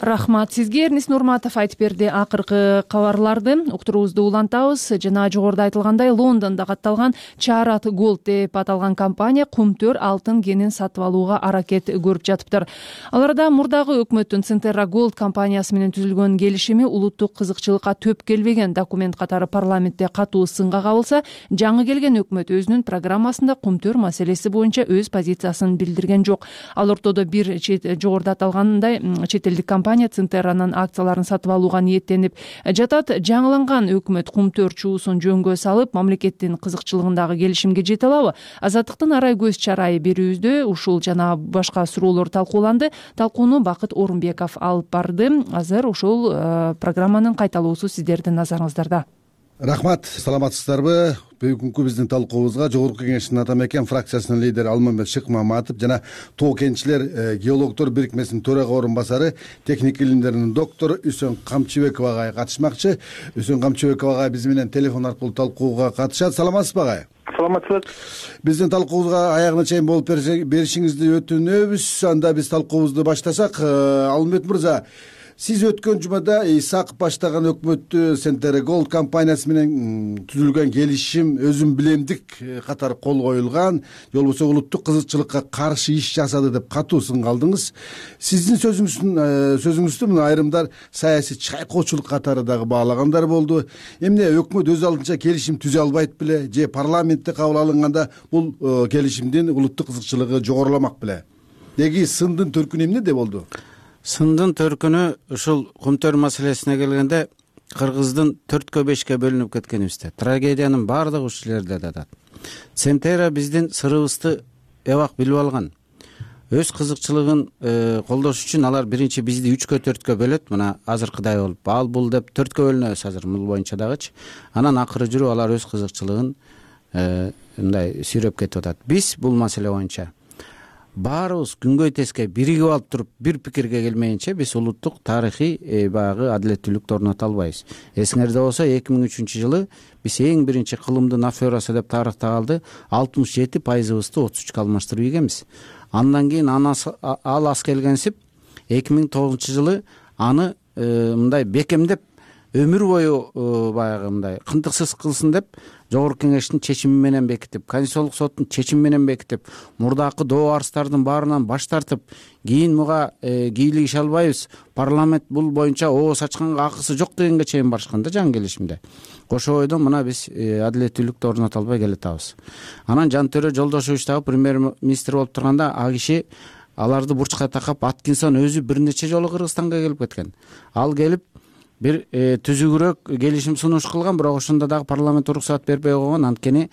Рахмат сизге. Эрнис Нурматов айтып берди акыркы кабарларды. Уктуруубузду улантабыз. Жана жогоруда айтылгандай, Лондондо катталган Чарат Голд деп аталган компания кумтөр алтын кенин сатып алууга аракет көрүп жатыптыр. Аларда мурдагы өкмөттүн Центерра Голд компаниясы менен түзүлгөн келишими улуттук кызыкчылыкка төп келбеген документ катары парламентте катуу сынга кабылса, жаңы келген өкмөт өзүнүн программасында кумтөр маселеси боюнча өз позициясын билдирген жок. Ал ортодо бир жогоруда аталгандай чет элдик компания Центерранын акцияларын сатып алууга ниеттенип жатат. Жаңыланган өкмөт кумтөр чуусун жөнгө салып, мамлекеттин кызыкчылыгындагы келишимге жете алабы? Азаттыктын арай көз чарайы берүүбүздө ушул жана башка суроолор талкууланды. Талкууну Бакыт Орунбеков алып барды. Азыр ушул программанын кайталоосу сиздердин назарыңыздарда. Рахмат, саламатсыздарбы? Бүгүнкү биздин талкуубузга Жогорку Кеңештин ата мекен фракциясынын лидери Алмамбет Шыкмаматов жана Тоо кенчилер геологдор бирикмесинин төрага орун басары, техник илимдеринин доктору Үсөн Камчыбеков агай катышмакчы. Үсөн Камчыбеков агай биз менен телефон аркылуу талкууга катышат. Саламатсызбы агай? Саламатсыз. Биздин талкуубузга аягына чейин болуп беришиңизди өтүнөбүз. Анда биз талкуубузду баштасак, Алмамбет мырза, сиз өткөн жумада Исаков баштаган өкмөттү Центерра Голд компаниясы менен түзүлгөн келишим өзүн билемдик катары кол коюлган, же болбосо улуттук кызыкчылыкка каршы иш жасады деп катуу сынга алдыңыз. Сиздин сөзүңүздүн сөзүңүздү мына айрымдар саясий чайкоочулук катары дагы баалагандар болду. Эмне өкмөт өз алдынча келишим түзө албайт беле, же парламентте кабыл алынганда бул келишимдин улуттук кызыкчылыгы жогоруламак беле? Деги сындын төркүнү эмнеде болду? Сындын төркүнү ушул кумтөр маселесине келгенде Кыргыздын төрткө бешке бөлүнүп кеткенибизде. Трагедиянын баардыгы ушул жерде жатат. Центерра биздин сырыбызды эбак билип алган. Өз кызыкчылыгын колдош үчүн алар биринчи бизди үчкө төрткө бөлөт, мына азыркыдай болуп, ал бул деп төрткө бөлүнөбүз азыр бул боюнча дагычы. Анан акыры жүрүп алар өз кызыкчылыгын мындай сүйрөп кетип атат. Биз бул маселе боюнча баарыбыз күнгөй теске биригип алып туруп бир пикирге келмейинче биз улуттук тарыхый баягы адилеттүүлүктү орното албайбыз. Эсиңерде болсо эки миң үчүнчү жылы биз эң биринчи кылымдын аферасы деп тарыхта калды, алтымыш жети пайызыбызды отуз үчкө алмаштырып ийгенбиз. Андан кийин ал ас келгенсип эки миң тогузунчу жылы аны мындай бекемдеп өмүр бою баягы мындай кынтыксыз кылсын деп Жогорку Кеңештин чечими менен бекитип, Конституциялык соттун чечими менен бекитип, мурдакы доо арыздардын баарынан баш тартып, кийин муга кийлигише албайбыз, парламент бул боюнча ооз ачканга акысы жок дегенге чейин барышкан да жаңы келишимде. Ошо бойдон мына биз адилеттүүлүктү орното албай келатабыз. Анан Жантөрө Жолдошович дагы премьер-министр болуп турганда а киши аларды бурчка такап, Аткинсон өзү бир нече жолу Кыргызстанга келип кеткен. Ал келип бир түзүгүрөөк келишим сунуш кылган, бирок ошондо дагы парламент уруксаат бербей койгон. Анткени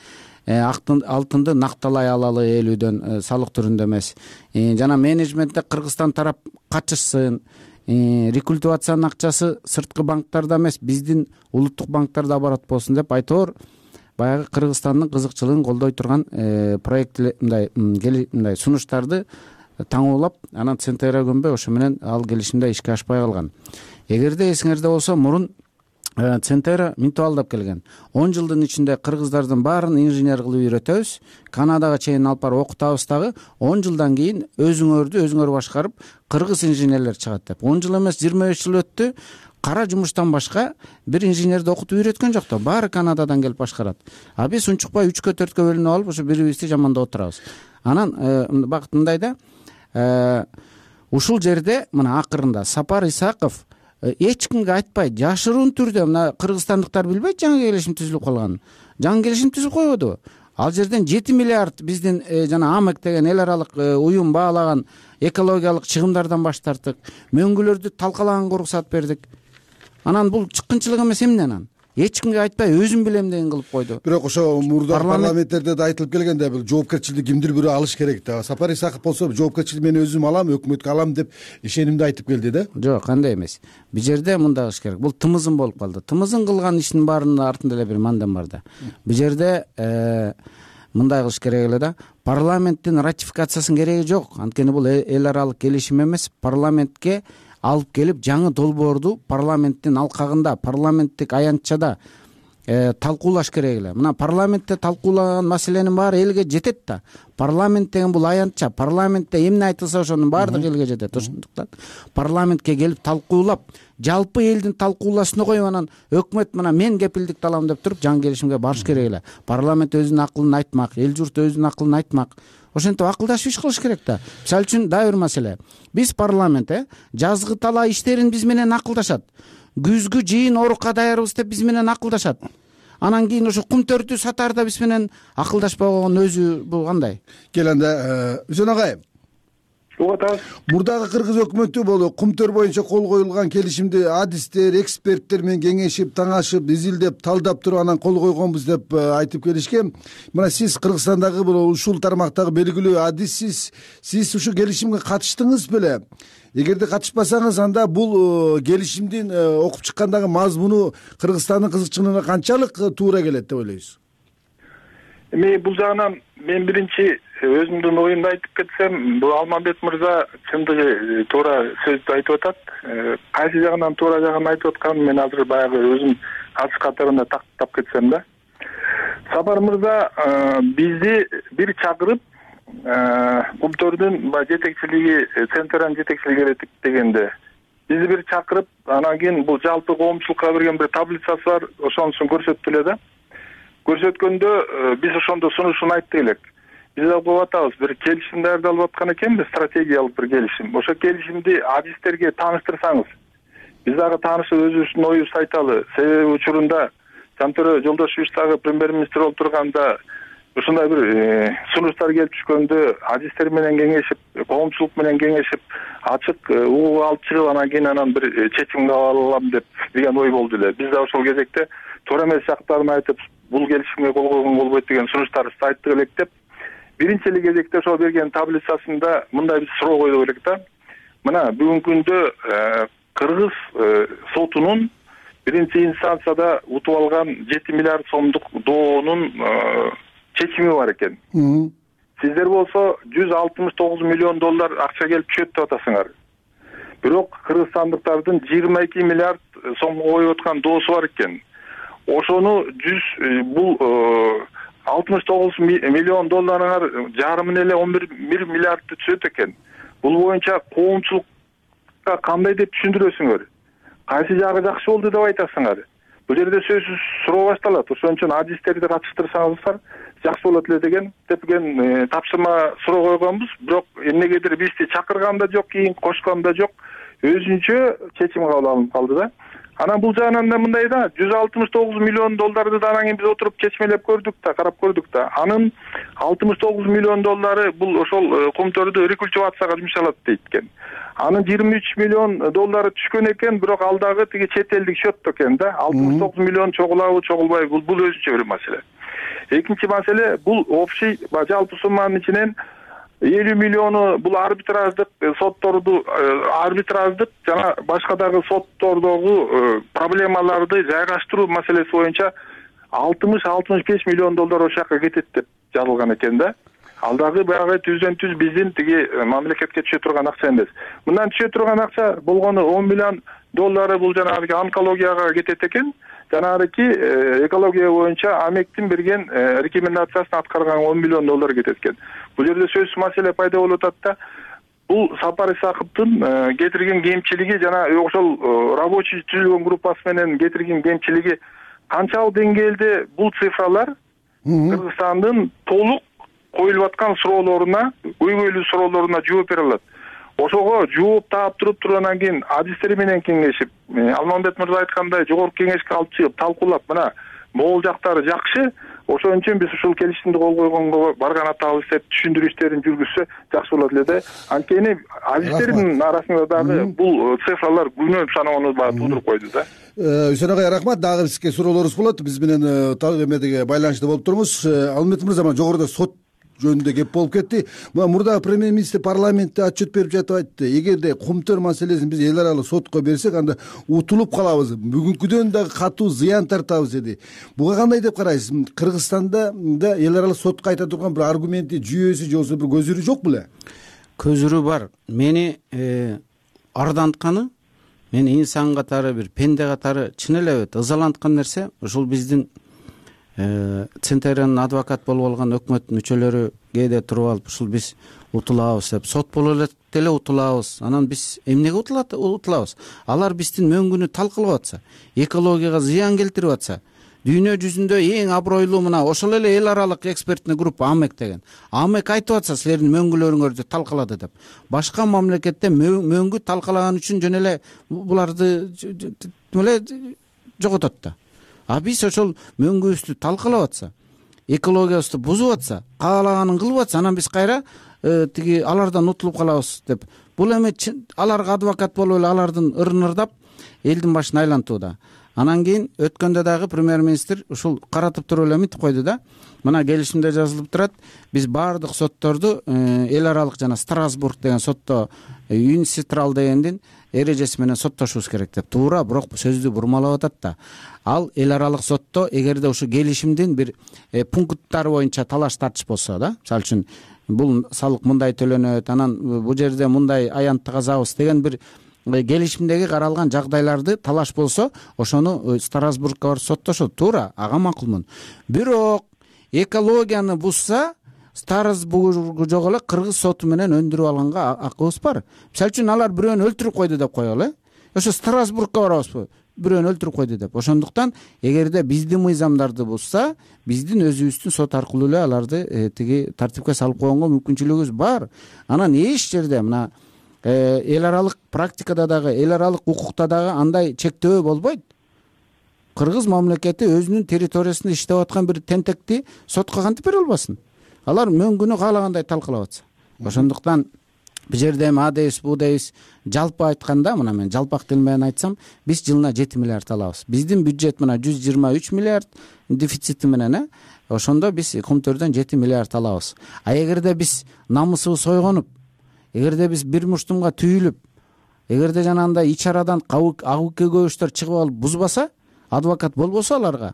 алтынды накталай алалы элүүдөн салык түрүндө эмес. Жана менеджментте Кыргызстан тарап качышсын, рекультивациянын акчасы сырткы банктарда эмес, биздин улуттук банктарда оборот болсун деп айтор баягы Кыргызстандын кызыкчылыгын колдой турган проект мындай мындай сунуштарды таңуулап, анан Центерра көнбөй ошо менен ал келишимде ишке ашпай калган. Эгерде эсиңерде болсо, мурун Центерра минтип алдап келген. он жылдын ичинде кыргыздардын баарын инженер кылып үйрөтөбүз, Канадага чейин алып барып окутабыз дагы, он жылдан кийин өзүңөрдү өзүңөр башкарып кыргыз инженерлер чыгат деп. он жыл эмес, жыйырма беш жыл өттү. Кара жумуштан башка бир инженерди окутуп үйрөткөн жок да, баары Канададан келип башкарат. А биз унчукпай үчкө төрткө бөлүнүп алып, ошо бирибизди жамандап отурабыз. Анан Бакыт мындай да, ушул жерде мына акырында Сапар Исаков эч кимге айтпай, жашыруун түрдө, мына кыргызстандыктар билбейт жаңы келишим түзүлүп калганын. Жаңы келишим түзүп койбоду. Ал жерден жети миллиард биздин жана АМЭК деген эл аралык уюм баалаган экологиялык чыгымдардан баш тарттык. Мөңгүлөрдү талкалаганга уруксаат бердик. Анан бул чыккынчылык эмес эмне анан? Эч кимге айтпай өзүм билем деген кылып койду. Бирок ошо мурда парламенттерде да айтылып келгенде бул жоопкерчиликти кимдир бирөө алыш керек да. Сапар Исаков болсо жоопкерчиликти мен өзүм алам, өкмөткө алам деп ишенимди айтып келди да. Жок, кандай эмес. Бул жерде мындай кылыш керек. Бул тымызын болуп калды. Тымызын кылган иштин баарынын артында эле бир мандам бар да. Бул жерде мындай кылыш керек эле да. Парламенттин ратификациясынын кереги жок. Анткени бул эл аралык келишим эмес. Парламентке алып келип жаңы долбоорду парламенттин алкагында, парламенттик аянтчада талкуулаш керек эле. Мына парламентте талкуулаган маселенин баары элге жетет да. Парламент деген бул аянтча. Парламентте эмне айтылса ошонун баардыгы элге жетет. Ошондуктан парламентке келип талкуулап, жалпы элдин талкуулашына коюп анан өкмөт мына мен кепилдикти алам деп туруп жаңы келишимге барыш керек эле. Парламент өзүнүн акылын айтмак, эл журт өзүнүн акылын айтмак. Ошентип акылдашып иш кылыш керек да. Мисалы үчүн дагы бир маселе. Биз парламент э жазгы талаа иштерин биз менен акылдашат. Күзгү жыйын орукка даярбыз деп биз менен акылдашат. Анан кийин ошо кумтөрдү сатаарда биз менен акылдашпаган өзү бул кандай? Кел анда Үсөн агай. Мурдагы кыргыз өкмөтү болу кумтөр боюнча кол коюлган келишимди адистер, эксперттер менен кеңешип, таңашып, изилдеп, талдап туруп анан кол койгонбуз деп айтып келишкен. Мына сиз Кыргызстандагы бул ушул тармактагы белгилүү адиссиз. Сиз ушул келишимге катыштыңыз беле? Эгерде катышпасаңыз, анда бул келишимдин окуп чыккандагы мазмуну Кыргызстандын кызыкчылыгына канчалык туура келет деп ойлойсуз? Эми бул жагынан мен биринчи өзүмдүн оюмду айтып кетсем, бул Алмамбет мырза чындыгы туура сөздү айтып атат. Кайсы жагынан туура жагын айтып атканын мен азыр баягы өзүм катыш катарында тактап кетсем да. Сапар мырза бизди бир чакырып, кумтөрдүн жетекчилиги, Центранын жетекчилиги керек дегенде бизди бир чакырып, анан кийин бул жалпы коомчулукка берген бир таблицасы бар, ошонусун көрсөттү эле да. Көрсөткөндө биз ошондо сунушун айттык элек. Биз алып атабыз, бир келишим даярдалып аткан экенбиз, стратегиялык бир келишим. Ошо келишимди адистерге тааныштырсаңыз, биз дагы таанышып өзүбүздүн оюбузду айталы. Себеби учурунда Жантөрө Жолдошевич дагы премьер-министр болуп турганда ушундай бир сунуштар келип түшкөндө адистер менен кеңешип, коомчулук менен кеңешип, ачык угуп алып чыгып, анан кийин анан бир чечимге алам деп деген ой болду эле. Биз да ошол кезекте туура эмес жактарын айтып, бул келишимге кол койгон болбойт деген сунуштарыбызды айттык элек деп, биринчи эле кезекте ошол берген таблицасында мындай биз суроо койдук элек да. Мына бүгүнкү күндө Кыргыз сотунун биринчи инстанцияда утуп алган жети миллиард сомдук доонун чечими бар экен. Сиздер болсо жүз алтымыш тогуз миллион доллар акча келип түшөт деп атасыңар. Бирок кыргызстандыктардын жыйырма эки миллиард сомго коюп аткан доосу бар экен. Ошону жүз бул алтымыш тогуз миллион долларыңар жарымын эле он бир миллиардты түшөт экен. Бул боюнча коомчулукка кандай деп түшүндүрөсүңөр? Кайсы жагы жакшы болду деп айтасыңар? Бул жерде сөзсүз суроо башталат. Ошон үчүн адистерди катыштырсаңыздар жакшы болот эле деген депген тапшырма суроо койгонбуз. Бирок эмнегедир бизди чакырган да жок, кийин кошкон да жок. Өзүнчө чечим кабыл алынып калды да. Анан бул жагынан да мындай да, жүз алтымыш тогуз миллион долларды да анан кийин биз отуруп чечмелеп көрдүк да, карап көрдүк да. Анын алтымыш тогуз миллион доллары бул ошол кумтөрдү рекультивацияга жумшалат дейт экен. Анын жыйырма үч миллион доллары түшкөн экен, бирок ал дагы тиги чет элдик счетто экен да. алтымыш тогуз миллион чогулабы, чогулбайбы, бул бул өзүнчө бир маселе. Экинчи маселе, бул общий жалпы сумманын ичинен элүү миллиону бул арбитраждык сотторду, арбитраждык жана башка дагы соттордогу проблемаларды жайгаштыруу маселеси боюнча алтымыш алтымыш беш миллион доллар ошол жака кетет деп жазылган экен да. Ал дагы баягы түздөн түз биздин тиги мамлекетке түшө турган акча эмес. Мындан түшө турган акча болгону он миллион доллары бул жанагы онкологияга кетет экен. Жанагы экология боюнча Амектин берген рекомендациясын аткарган он миллион доллар кетет экен. Бул жерде сөзсүз маселе пайда болуп атат да. Бул Сапар Исаковдун кетирген кемчилиги жана ошол рабочий түзүлгөн группасы менен кетирген кемчилиги канчалык деңгээлде бул цифралар Кыргызстандын толук коюлуп аткан суроолоруна, көйгөйлүү суроолоруна жооп бере алат. Ошого жооп таап туруп туруп анан кийин адистер менен кеңешип, Алмамбет мырза айткандай жогорку кеңешке алып чыгып талкуулап, мына могул жактары жакшы, ошон үчүн биз ушул келишимди кол койгонго барган атабыз деп түшүндүрүү иштерин жүргүзсө жакшы болот эле да. Анткени адистердин арасында дагы бул цифралар күнөө саноону туудуруп койду да. Үсөн агай, рахмат. Дагы бизге суроолорубуз болот. Биз менен эмедеги байланышта болуп туруңуз. Алмамбет мырза, жогоруда сот жөнүндө кеп болуп кетти. Мурда премьер-министр парламентте отчет берип жатып айтты. Эгерде кумтөр маселесин биз эл аралык сотко берсек, анда утулуп калабыз. Бүгүнкүдөн дагы катуу зыян тартабыз деди. Буга кандай деп карайсыз? Кыргызстанда да эл аралык сотко айта турган бир аргументи, жүйөсү же болбосо бир көзүрү жок беле? Көзүрү бар. Мени ардантканы, мен инсан катары, бир пенде катары чын эле ызаланткан нерсе ушул биздин Центеранын адвокат болуп алган өкмөт мүчөлөрү кээде туруп алып ушул биз утулабыз деп, сот болуп элек деле утулабыз. Анан биз эмнеге утулабыз? Алар биздин мөңгүнү талкалап атса, экологияга зыян келтирип атса, дүйнө жүзүндө эң абройлуу мына ошол эле эл аралык экспертный группа АМЭК деген. АМЭК айтып атса силердин мөңгүлөрүңөрдү талкалады деп. Башка мамлекетте мөңгү талкалаган үчүн жөн эле буларды эле жоготот да. А биз ошол мөңгүбүздү талкалап атса, экологиябызды бузуп атса, каалаганын кылып атса, анан биз кайра тиги алардан утулуп калабыз деп. Бул эми аларга адвокат болуп эле алардын ырын ырдап элдин башын айлантууда. Анан кийин өткөндө дагы премьер-министр ушул каратып туруп эле мынтип койду да. Мына келишимде жазылып турат, биз баардык сотторду эл аралык жана Страсбург деген сотто Юниситрал дегендин эрежеси менен соттошубуз керек деп. Туура, бирок сөздү бурмалап атат да. Ал эл аралык сотто эгерде ушу келишимдин бир пункттары боюнча талаш тартыш болсо да, мисалы үчүн бул салык мындай төлөнөт, анан бул жерде мындай аянтты казабыз деген бир келишимдеги каралган жагдайларды талаш болсо, ошону Страсбургга барып соттошот. Туура, ага макулмун. Бирок экологияны бузса, Страсбург жок эле кыргыз соту менен өндүрүп алганга акыбыз бар. Мисалы үчүн алар бирөөнү өлтүрүп койду деп коелу. Ошо Страсбургга барабызбы? Бирөөнү өлтүрүп койду деп. Ошондуктан эгерде биздин мыйзамдарды бузса, биздин өзүбүздүн сот аркылуу эле аларды тиги тартипке салып койгонго мүмкүнчүлүгүбүз бар. Анан эч жерде мына эл аралык практикада дагы, эл аралык укукта дагы андай чектөө болбойт. Кыргыз мамлекети өзүнүн территориясында иштеп аткан бир тентекти сотко кантип бере албасын? Алар мөңгүнү каалагандай талкалап атса. Ошондуктан бул жерде эми а дейбиз, бу дейбиз, жалпы айтканда, мына мен жалпак тил менен айтсам, биз жылына жети миллиард алабыз. Биздин бюджет мына жүз жыйырма үч миллиард дефицити менен, э, ошондо биз Кумтөрдөн жети миллиард алабыз. А эгерде биз намысыбыз ойгонуп, эгерде биз бир муштумга түйүлүп, эгерде жанагындай ич арадан агыке көбүштөр чыгып алып бузбаса, адвокат болбосо аларга,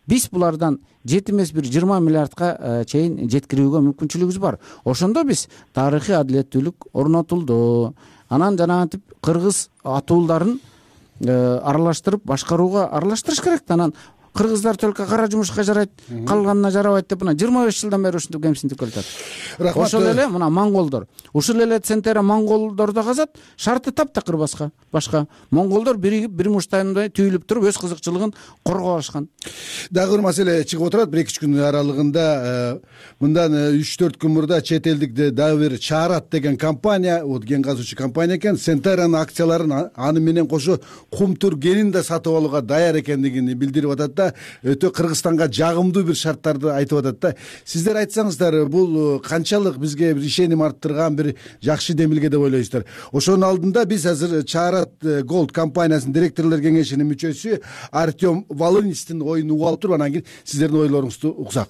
биз булардан жети эмес бир жыйырма миллиардка чейин жеткирүүгө мүмкүнчүлүгүбүз бар. Ошондо биз тарыхый адилеттүүлүк орнотулду. Анан жанагынтип кыргыз атуулдарын аралаштырып, башкарууга аралаштырыш керек да. Анан кыргыздар только кара жумушка жарайт, калганына жарабайт деп мына жыйырма беш жылдан бери ушинтип кемсинтип келатат. Ошол эле мына монголдор, ушул эле Центера монголдордо казат, шарты таптакыр башка. Башка монголдор биригип бир муштайдай түйүлүп туруп өз кызыкчылыгын коргоп алышкан. Дагы бир маселе чыгып отурат бир эки үч күн аралыгында. Мындан үч төрт күн мурда чет элдик дагы бир Чаарат деген компания, вот ген казуучу компания экен, Центеранын акцияларын аны менен кошо Кумтөр кенин да сатып алууга даяр экендигин билдирип атат да. Өтө Кыргызстанга жагымдуу бир шарттарды айтып атат да. Сиздер айтсаңыздар, бул канчалык бизге бир ишеним арттырган бир жакшы демилге деп ойлойсуздар? Ошонун алдында биз азыр Чаарат Голд компаниясынын директорлор кеңешинин мүчөсү Артем Волынецтин оюн угуп алып туруп, анан кийин сиздердин ойлоруңузду уксак.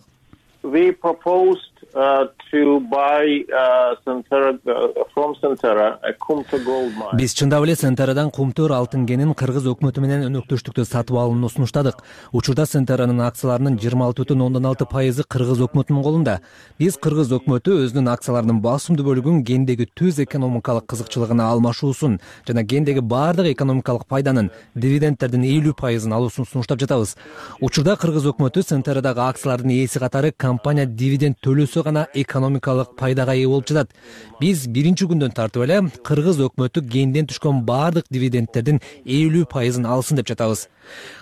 We proposed uh, to buy uh, Centera, uh, from Centera a Kumtor gold mine. Биз чындап эле Центерадан Кумтөр алтын кенин кыргыз өкмөтү менен өнөктөштүктө сатып алууну сунуштадык. Учурда Центеранын акцияларынын жыйырма алты бүтүн ондон алты пайызы кыргыз өкмөтүнүн колунда. Биз кыргыз өкмөтү өзүнүн акцияларынын басымдуу бөлүгүн гендеги түз экономикалык кызыкчылыгына алмашуусун жана гендеги баардык экономикалык пайданын, дивидендтердин элүү пайызын алуусун сунуштап жатабыз. Учурда кыргыз өкмөтү Центерадагы акциялардын ээси катары компания дивиденд төлөсө гана экономикалык пайдага ээ болуп жатат. Биз биринчи күндөн тартып эле кыргыз өкмөтү генден түшкөн баардык дивидендтердин элүү пайызын алсын деп жатабыз.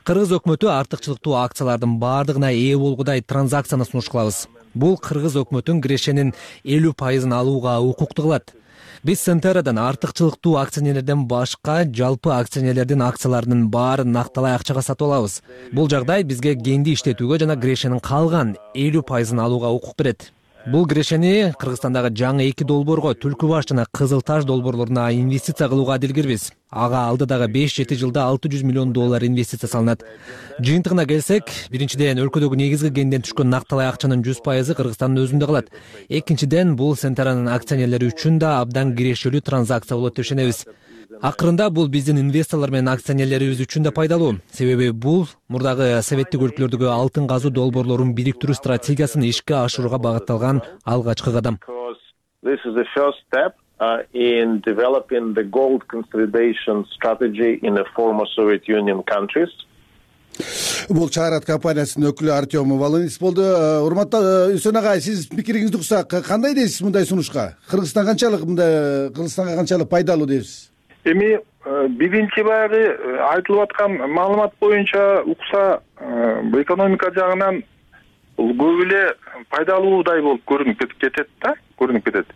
Кыргыз өкмөтү артыкчылыктуу акциялардын баардыгына ээ болгудай транзакцияны сунуш кылабыз. Бул кыргыз өкмөтүн кирешенин элүү пайызын алууга укуктуу кылат. Биз Центерадан артыкчылыктуу акционерлерден башка жалпы акционерлердин акцияларынын баарын накталай акчага сатып алабыз. Бул жагдай бизге генди иштетүүгө жана кирешенин калган элүү пайызын алууга укук берет. Бул кирешени Кыргызстандагы жаңы эки долбоорго, Түлкү баш жана Кызыл Таш долбоорлоруна инвестиция кылууга адилгирбиз. Ага алдыдагы беш жети жылда алты жүз миллион доллар инвестиция салынат. Жыйынтыгына келсек, биринчиден өлкөдөгү негизги генден түшкөн накталай акчанын жүз пайызы Кыргызстандын өзүндө калат. Экинчиден, бул Центеранын акционерлери үчүн да абдан кирешелүү транзакция болот деп ишенебиз. Акырында бул биздин инвесторлор менен акционерлерибиз үчүн да пайдалуу. Себеби бул мурдагы советтик өлкөлөрдөгү алтын казуу долбоорлорун бириктирүү стратегиясын ишке ашырууга багытталган алгачкы кадам. This is the first step uh, in developing the gold consolidation strategy in the former Soviet Union countries. Бул Чарат компаниясынын өкүлү Артем Волынец болду. Урматтуу Үсөн агай, сиз пикириңизди уксак, кандай дейсиз мындай сунушка? Кыргызстан канчалык мындай Кыргызстанга канчалык пайдалуу дейсиз? Эми биринчи баягы айтылып аткан маалымат боюнча укса экономика жагынан бул көп эле пайдалуудай болуп көрүнүп кетет да, көрүнүп кетет.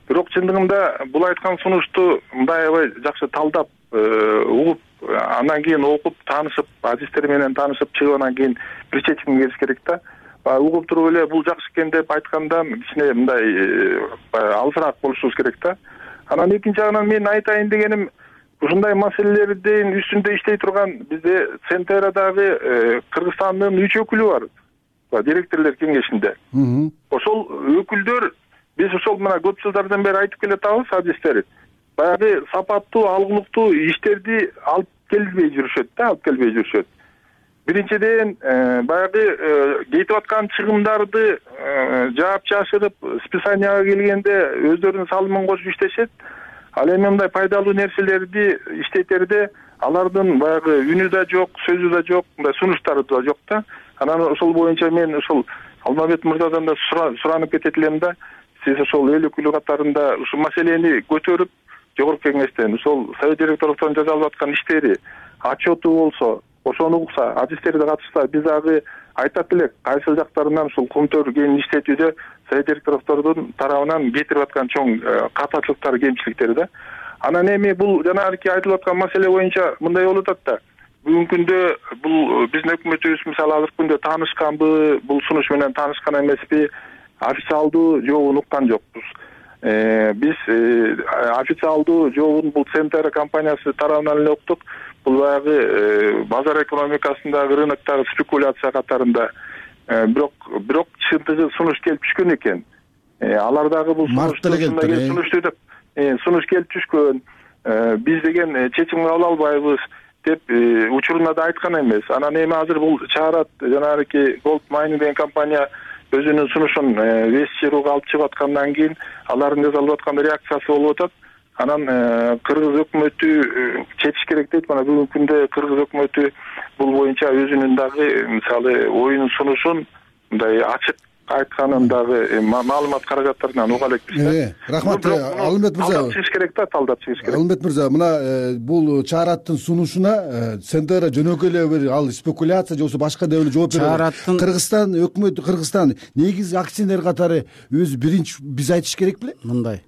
Бирок чындыгында бул айткан сунушту мындай аябай жакшы талдап, угуп, андан кийин окуп, таанышып, адистер менен таанышып чыгып анан кийин бир чечимге келиш керек да. Баягы угуп туруп эле бул жакшы экен деп айткандан кичине мындай алысыраак болушубуз керек да. Анан экинчи жагынан мен айтайын дегеним, ушундай маселелердин үстүндө иштей турган бизде Центерадагы Кыргызстандын үч өкүлү бар, директорлор кеңешинде. Ошол өкүлдөр биз ошол мына көп жылдардан бери айтып келатабыз, адистер баягы сапаттуу, алгылыктуу иштерди алып келбей жүрүшөт да, алып келбей жүрүшөт. Биринчиден, баягы кетип аткан чыгымдарды жаап жашырып, списанияга келгенде өздөрүнүн салымын кошуп иштешет. Ал эми мындай пайдалуу нерселерди иштетерде алардын баягы үнү да жок, сөзү да жок, мындай сунуштары да жок да. Анан ошол боюнча мен ошол Алмамбет мырзадан да суранып кетет элем да, сиз ошол эл өкүлү катарында ушул маселени көтөрүп, жогорку кеңештен ошол совет директорлуктан жасалып аткан иштери, отчету болсо, ошону укса, адистерди катышса, биз дагы айтат элек, кайсыл жактарынан ушул кумтөр кийин иштетүүдө совет директорлордун тарабынан кетирип аткан чоң катачылыктар, кемчиликтери да. Анан эми бул жанагы айтылып аткан маселе боюнча мындай болуп атат да. Бүгүнкү күндө бул биздин өкмөтүбүз мисалы азыркы күндө таанышканбы, бул сунуш менен таанышкан эмеспи, официалдуу жообун уккан жокпуз. Биз официалдуу жообун бул Центера компаниясы тарабынан эле уктук. Бул баягы базар экономикасындагы, рыноктогу спекуляция катарында. Бирок бирок чындыгы сунуш келип түшкөн экен. Алар дагы бул сунушту деп сунуш келип түшкөн. Биз деген чечим кабыл албайбыз деп учуруна да айткан эмес. Анан эми азыр бул Чарат жанагы Gold Mining деген компания өзүнүн сунушун Вестчируга алып чыгып аткандан кийин алардын жасалып аткан реакциясы болуп атат. Анан кыргыз өкмөтү четиш керек дейт. Мына бүгүнкү күндө кыргыз өкмөтү бул боюнча өзүнүн дагы мисалы оюнун сунушун мындай ачык айтканын дагы маалымат каражаттарынан уга элекпиз. Рахмат, Алмамбет мырза. Талдап чыгыш керек да, талдап чыгыш керек. Алмамбет мырза, мына бул Чараттын сунушуна Центера жөнөкөй эле бир ал спекуляция же болбосо башка деп эле жооп берет. Кыргызстан өкмөтү, Кыргызстан негизги акционер катары өзү биринчи биз айтыш керек беле? Мындай.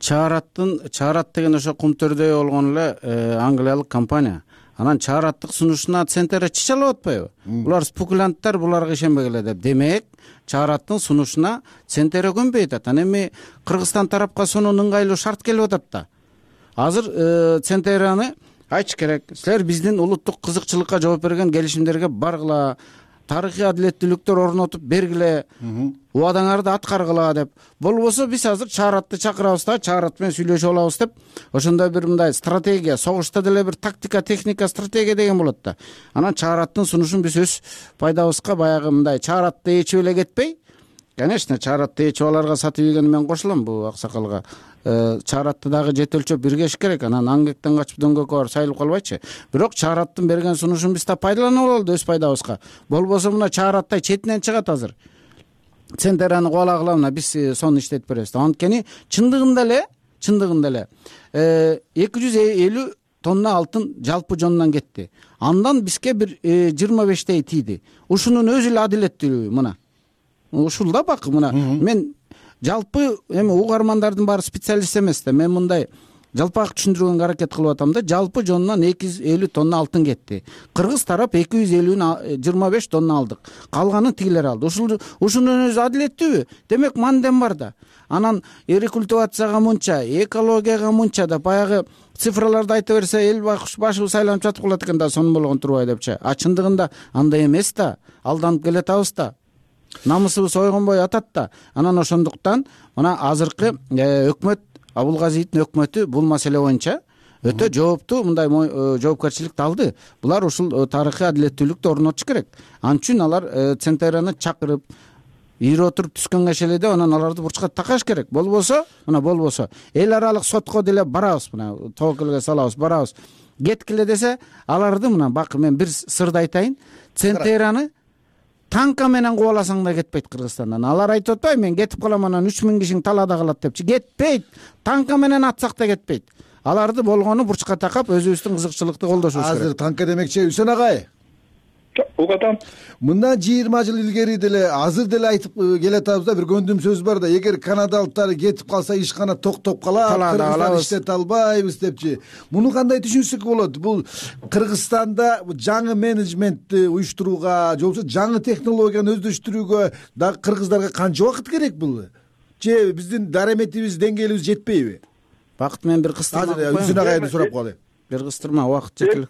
Чараттын Чарат деген ошо кумтөрдөй болгон эле англиялык компания. Анан Чараттык сунушуна Центера чыч алып атпайбы? Булар спекулянттар, буларга ишенбегиле деп. Демек, Чараттын сунушуна Центера көнбөй атат. Анан эми Кыргызстан тарапка сонун ыңгайлуу шарт келип атат да. Азыр Центераны айтыш керек. Силер биздин улуттук кызыкчылыкка жооп берген келишимдерге баргыла, тарыхый адилеттүүлүктөр орнотуп бергиле, убадаңарды аткаргыла деп. Болбосо биз азыр Чаратты чакырабыз да, Чарат менен сүйлөшүп алабыз деп, ошондой бир мындай стратегия, согушта деле бир тактика, техника, стратегия деген болот да. Анан Чараттын сунушун биз өз пайдабызга баягы мындай Чаратты ээчип эле кетпей, конечно, Чаратты ээчип аларга сатып ийген мен кошулам бул аксакалга. Чаратты дагы жете өлчөп биргеш керек. Анан аңгектен качып дөңгөккө барып сайылып калбайчы. Бирок Чараттын берген сунушун биз да пайдаланып алалы өз пайдабызга. Болбосо мына Чараттай четинен чыгат азыр. Центераны кубалагыла, мына биз сону иштетип беребиз. Анткени чындыгында эле, чындыгында эле эки жүз элүү тонна алтын жалпы жонунан кетти. Андан бизге бир жыйырма бештей тийди. Ушунун өзү эле адилеттүүлүгү мына. Ушул да бак мына мен жалпы эми угармандардын баары специалист эмес да, мен мындай жалпак түшүндүргөнгө аракет кылып атам да. Жалпы жонунан эки жүз элүү тонна алтын кетти. Кыргыз тарап эки жүз элүүнү жыйырма беш тонна алдык. Калганын тигилер алды. Ушул ушунун өзү адилеттүүбү? Демек мандем бар да. Анан рекультивацияга мынча, экологияга мынча да баягы цифраларды айта берсе эл башы сайланып жатып калат экен да, сонун болгон турбай депчи. А чындыгында андай эмес да. Алданып келатабыз да. Намысыбыз ойгонбой атат да. Анан ошондуктан мына азыркы өкмөт, Абулгазиевдин өкмөтү бул маселе боюнча өтө жооптуу мындай жоопкерчиликти алды. Булар ушул тарыхый адилеттүүлүктү орнотуш керек. Ал үчүн алар Центераны чакырып, ийип отуруп түскөн кешеледе анан аларды бурчка такаш керек. Болбосо мына болбосо эл аралык сотко деле барабыз, мына тобокелге салабыз, барабыз. Кеткиле десе аларды мына бак, мен бир сырды айтайын. Центераны танка менен кубаласаң да кетпейт Кыргызстандан. Алар айтып атпайбы, мен кетип калам анан үч миң кишиң талаада калат депчи. Кетпейт. Танка менен атсак да кетпейт. Аларды болгону бурчка такап өзүбүздүн кызыкчылыкты колдошубуз керек. Азыр танка демекчи Үсөн агай. Угатам. Мындан жыйырма жыл илгери деле азыр деле айтып келатабыз да, бир көндүм сөз бар да, эгер канадалыктар кетип калса ишкана токтоп калат, Кыргызстан иштете албайбыз депчи. Муну кандай түшүнсөк болот? Бул Кыргызстанда жаңы менеджментти уюштурууга, же болбосо жаңы технологияны өздөштүрүүгө дагы кыргыздарга канча убакыт керек бул? Же биздин дараметибиз, деңгээлибиз жетпейби? Бакыт, мен бир кыстырма Азыр Үсөн агайды сурап калайын. Бир кыстырма, убакыт жетилик.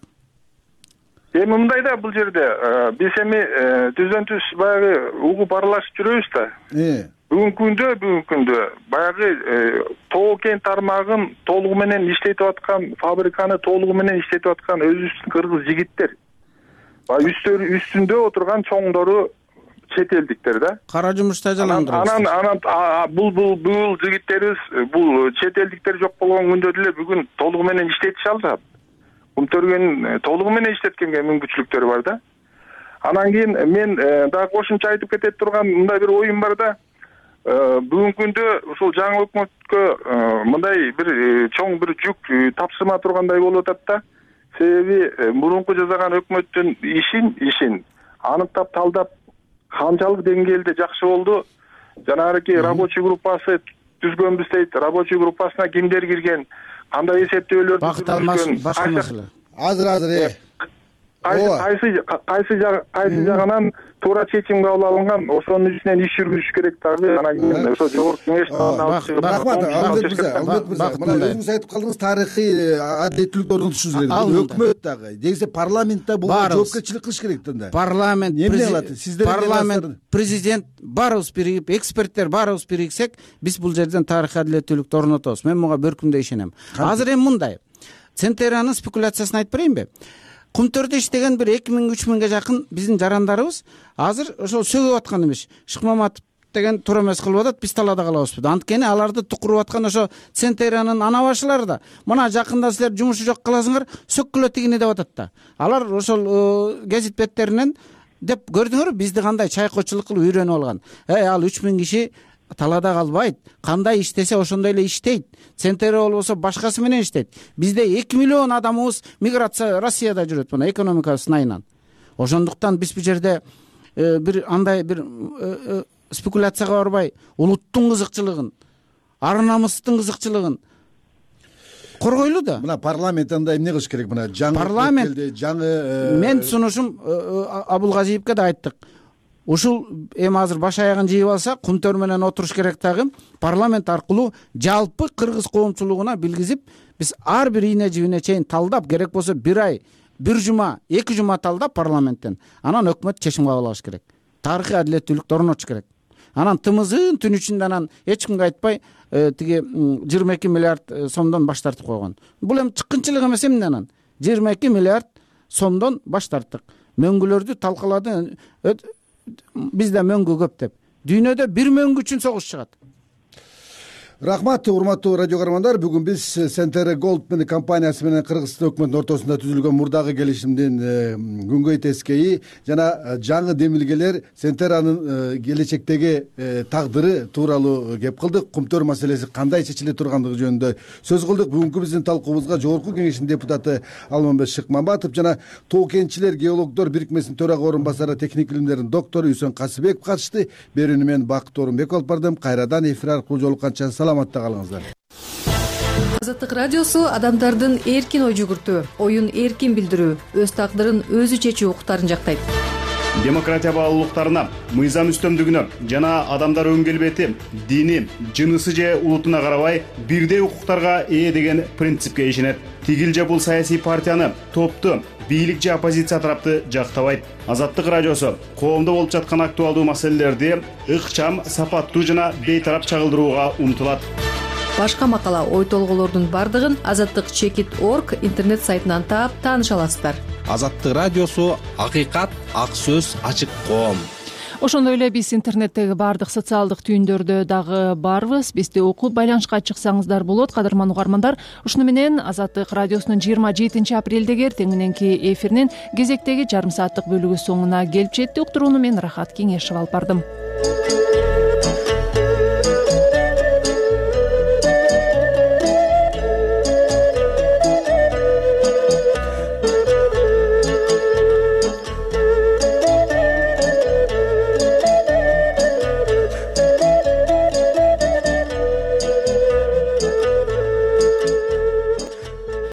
Эми мындай да, бул жерде биз эми түздөн түз баягы угуп аралашып жүрөбүз да. Бүгүнкү күндө бүгүнкү күндө баягы тоо кен тармагын толугу менен иштетип аткан, фабриканы толугу менен иштетип аткан өзүбүздүн кыргыз жигиттер. Баягы үстүндө отурган чоңдору чет элдиктер да. Кара жумушта жаландырабыз. Анан анан бул бул бул жигиттерибиз, бул чет элдиктер жок болгон күндө деле бүгүн толугу менен иштетише алышат. Кумтөргөн толугу менен иштеткенге мүмкүнчүлүктөрү бар да. Анан кийин мен дагы кошумча айтып кете турган мындай бир оюм бар да. Бүгүнкү күндө ушул жаңы өкмөткө мындай бир чоң бир жүк тапшырма тургандай болуп атат да. Себеби мурунку жасаган өкмөттүн ишин ишин аныктап талдап канчалык деңгээлде жакшы болду. Жанагы рабочий группасы түзгөнбүз дейт. Рабочий группасына кимдер кирген? Кандай эсептөөлөрдү бакыт башка маселе. Азыр азыр кайсы кайсы кайсы жагынан туура чечим кабыл алынган, ошонун үстүнөн иш жүргүзүш керек дагы. Анан кийин ошо жогорку кеңештин рахмат, Алмет мырза, Алмет мырза, мына өзүңүз айтып калдыңыз, тарыхый адилеттүүлүктү орнотушубуз керек. Өкмөт дагы, дегисе парламентте бул жоопкерчилик кылыш керек да. Парламент, парламент, президент баарыбыз биригип, эксперттер баарыбыз бириксек, биз бул жерден тарыхый адилеттүүлүктү орнотобуз. Мен буга бөркүмдөй ишенем. Азыр эми мындай. Центеранын спекуляциясын айтып берейинби? Кумтөрдө иштеген бир эки миң үч миңге жакын биздин жарандарыбыз азыр ошол сөгүп аткан эмес. Шыкмаматов деген туура эмес кылып атат, биз талаада калабызбы? Анткени аларды тукуруп аткан ошо Центеранын ана башылары да. Мына жакында силер жумушу жок каласыңар, сөккүлө тигине деп атат да. Алар ошол гезит беттеринен деп көрдүңөрбү бизди кандай чайкоочулук кылып үйрөнүп алган. Эй, ал үч миң киши талаада калбайт, кандай иштесе ошондой эле иштейт. Центер болбосо башкасы менен иштейт. Бизде эки миллион адамыбыз миграция Россияда жүрөт, мына экономика сынайынан. Ошондуктан биз бул жерде бир андай бир спекуляцияга барбай, улуттун кызыкчылыгын, ар намыстын кызыкчылыгын коргойлу да. Мына парламент анда эмне кылыш керек? Мына жаңы парламент, жаңы мен сунушум Абулгазиевке да айттык. Ушул эми азыр баш аягын жыйып алса, кумтөр менен отуруш керек дагы, парламент аркылуу жалпы кыргыз коомчулугуна билгизип, биз ар бир ийне жибине чейин талдап, керек болсо бир ай, бир жума, эки жума талдап парламенттен, анан өкмөт чечим кабыл алыш керек. Тарыхый адилеттүүлүктү орнотуш керек. Анан тымызын түн ичинде анан эч кимге айтпай, тиги жыйырма эки миллиард сомдон баш тартып койгон. Бул эми чыккынчылык эмес эмне анан? жыйырма эки миллиард сомдон баш тарттык. Мөңгүлөрдү талкалады. Бизде мөңгү көп деп. Дүйнөдө бир мөңгү үчүн согуш чыгат. Рахмат, урматтуу радио көрөрмандар. Бүгүн биз Центер Голд менен компаниясы менен Кыргызстан өкмөтүнүн ортосунда түзүлгөн мурдагы келишимдин күнгөй тескейи жана жаңы демилгелер Центеранын келечектеги тагдыры тууралуу кеп кылдык. Кумтөр маселеси кандай чечиле тургандыгы жөнүндө сөз кылдык. Бүгүнкү биздин талкуубузга жогорку кеңештин депутаты Алмамбет Шыкмаматов жана тоо кенчилер геологдор бирикмесинин төрага орун басары, техник илимдердин доктору Үсөн Касыбеков катышты. Берүүнү мен Бакыт Орунбеков алып бардым. Кайрадан эфир аркылуу жолукканча саламатта калыңыздар. Азаттык радиосу адамдардын эркин ой жүгүртүү, оюн эркин билдирүү, өз тагдырын өзү чечүү укуктарын жактайт. Демократия баалуулуктарына, мыйзам үстөмдүгүнө жана адамдар өн келбети, дини, жынысы же улутуна карабай бирдей укуктарга ээ деген принципке ишенет. Тигил же бул саясий партияны, топту, бийлик же оппозиция тарапты жактабайт. Азаттык радиосу коомдо болуп жаткан актуалдуу маселелерди ыкчам, сапаттуу жана бейтарап чагылдырууга умтулат. Башка макала, ой толгоолордун бардыгын азаттык чекит точка орг интернет сайтынан таап тааныша аласыздар. Азаттык радиосу акыйкат, ак сөз, ачык коом. ошондой эле биз интернеттеги баардык социалдык түйүндөрдө дагы барбыз. Бизди окуп байланышка чыксаңыздар болот. Кадырман угармандар, ушуну менен Азаттык радиосунун жыйырма жетинчи апрелдеги эртең мененки эфиринин кезектеги жарым сааттык бөлүгү соңуна келип жетти. Уктурууну мен Рахат Кеңешева алып бардым.